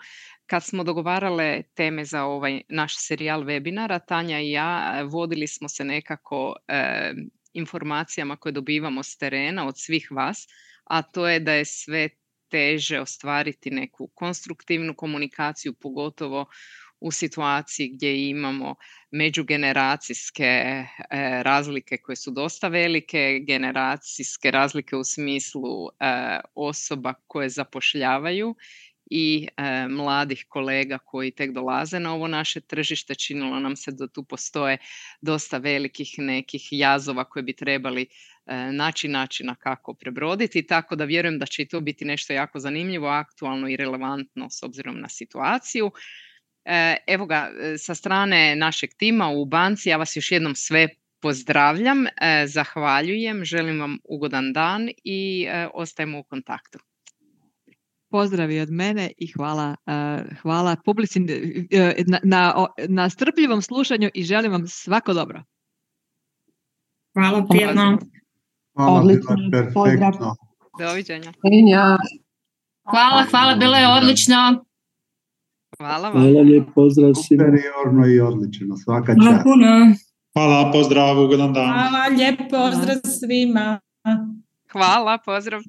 Kad smo dogovarale teme za ovaj naš serijal webinara, Tanja i ja vodili smo se nekako e, informacijama koje dobivamo s terena od svih vas, a to je da je sve teže ostvariti neku konstruktivnu komunikaciju, pogotovo u situaciji gdje imamo međugeneracijske e, razlike koje su dosta velike, generacijske razlike u smislu e, osoba koje zapošljavaju i e, mladih kolega koji tek dolaze na ovo naše tržište. Činilo nam se da tu postoje dosta velikih nekih jazova koje bi trebali e, naći načina kako prebroditi, tako da vjerujem da će i to biti nešto jako zanimljivo, aktualno i relevantno s obzirom na situaciju. E, evo ga, sa strane našeg tima u banci, ja vas još jednom sve pozdravljam, e, zahvaljujem, želim vam ugodan dan i e, ostajemo u kontaktu. Pozdravi od mene i hvala, uh, hvala publici na, na, na strpljivom slušanju i želim vam svako dobro. Hvala, prijatno. Hvala, bilo je perfektno. Doviđenja. Hvala, hvala, bilo je odlično. Hvala vam. Hvala, lijep pozdrav svima. Superiorno i odlično, svaka Hvala čast. puno. Hvala, pozdrav, ugodan dan. Hvala, lijep pozdrav svima. Hvala, pozdrav.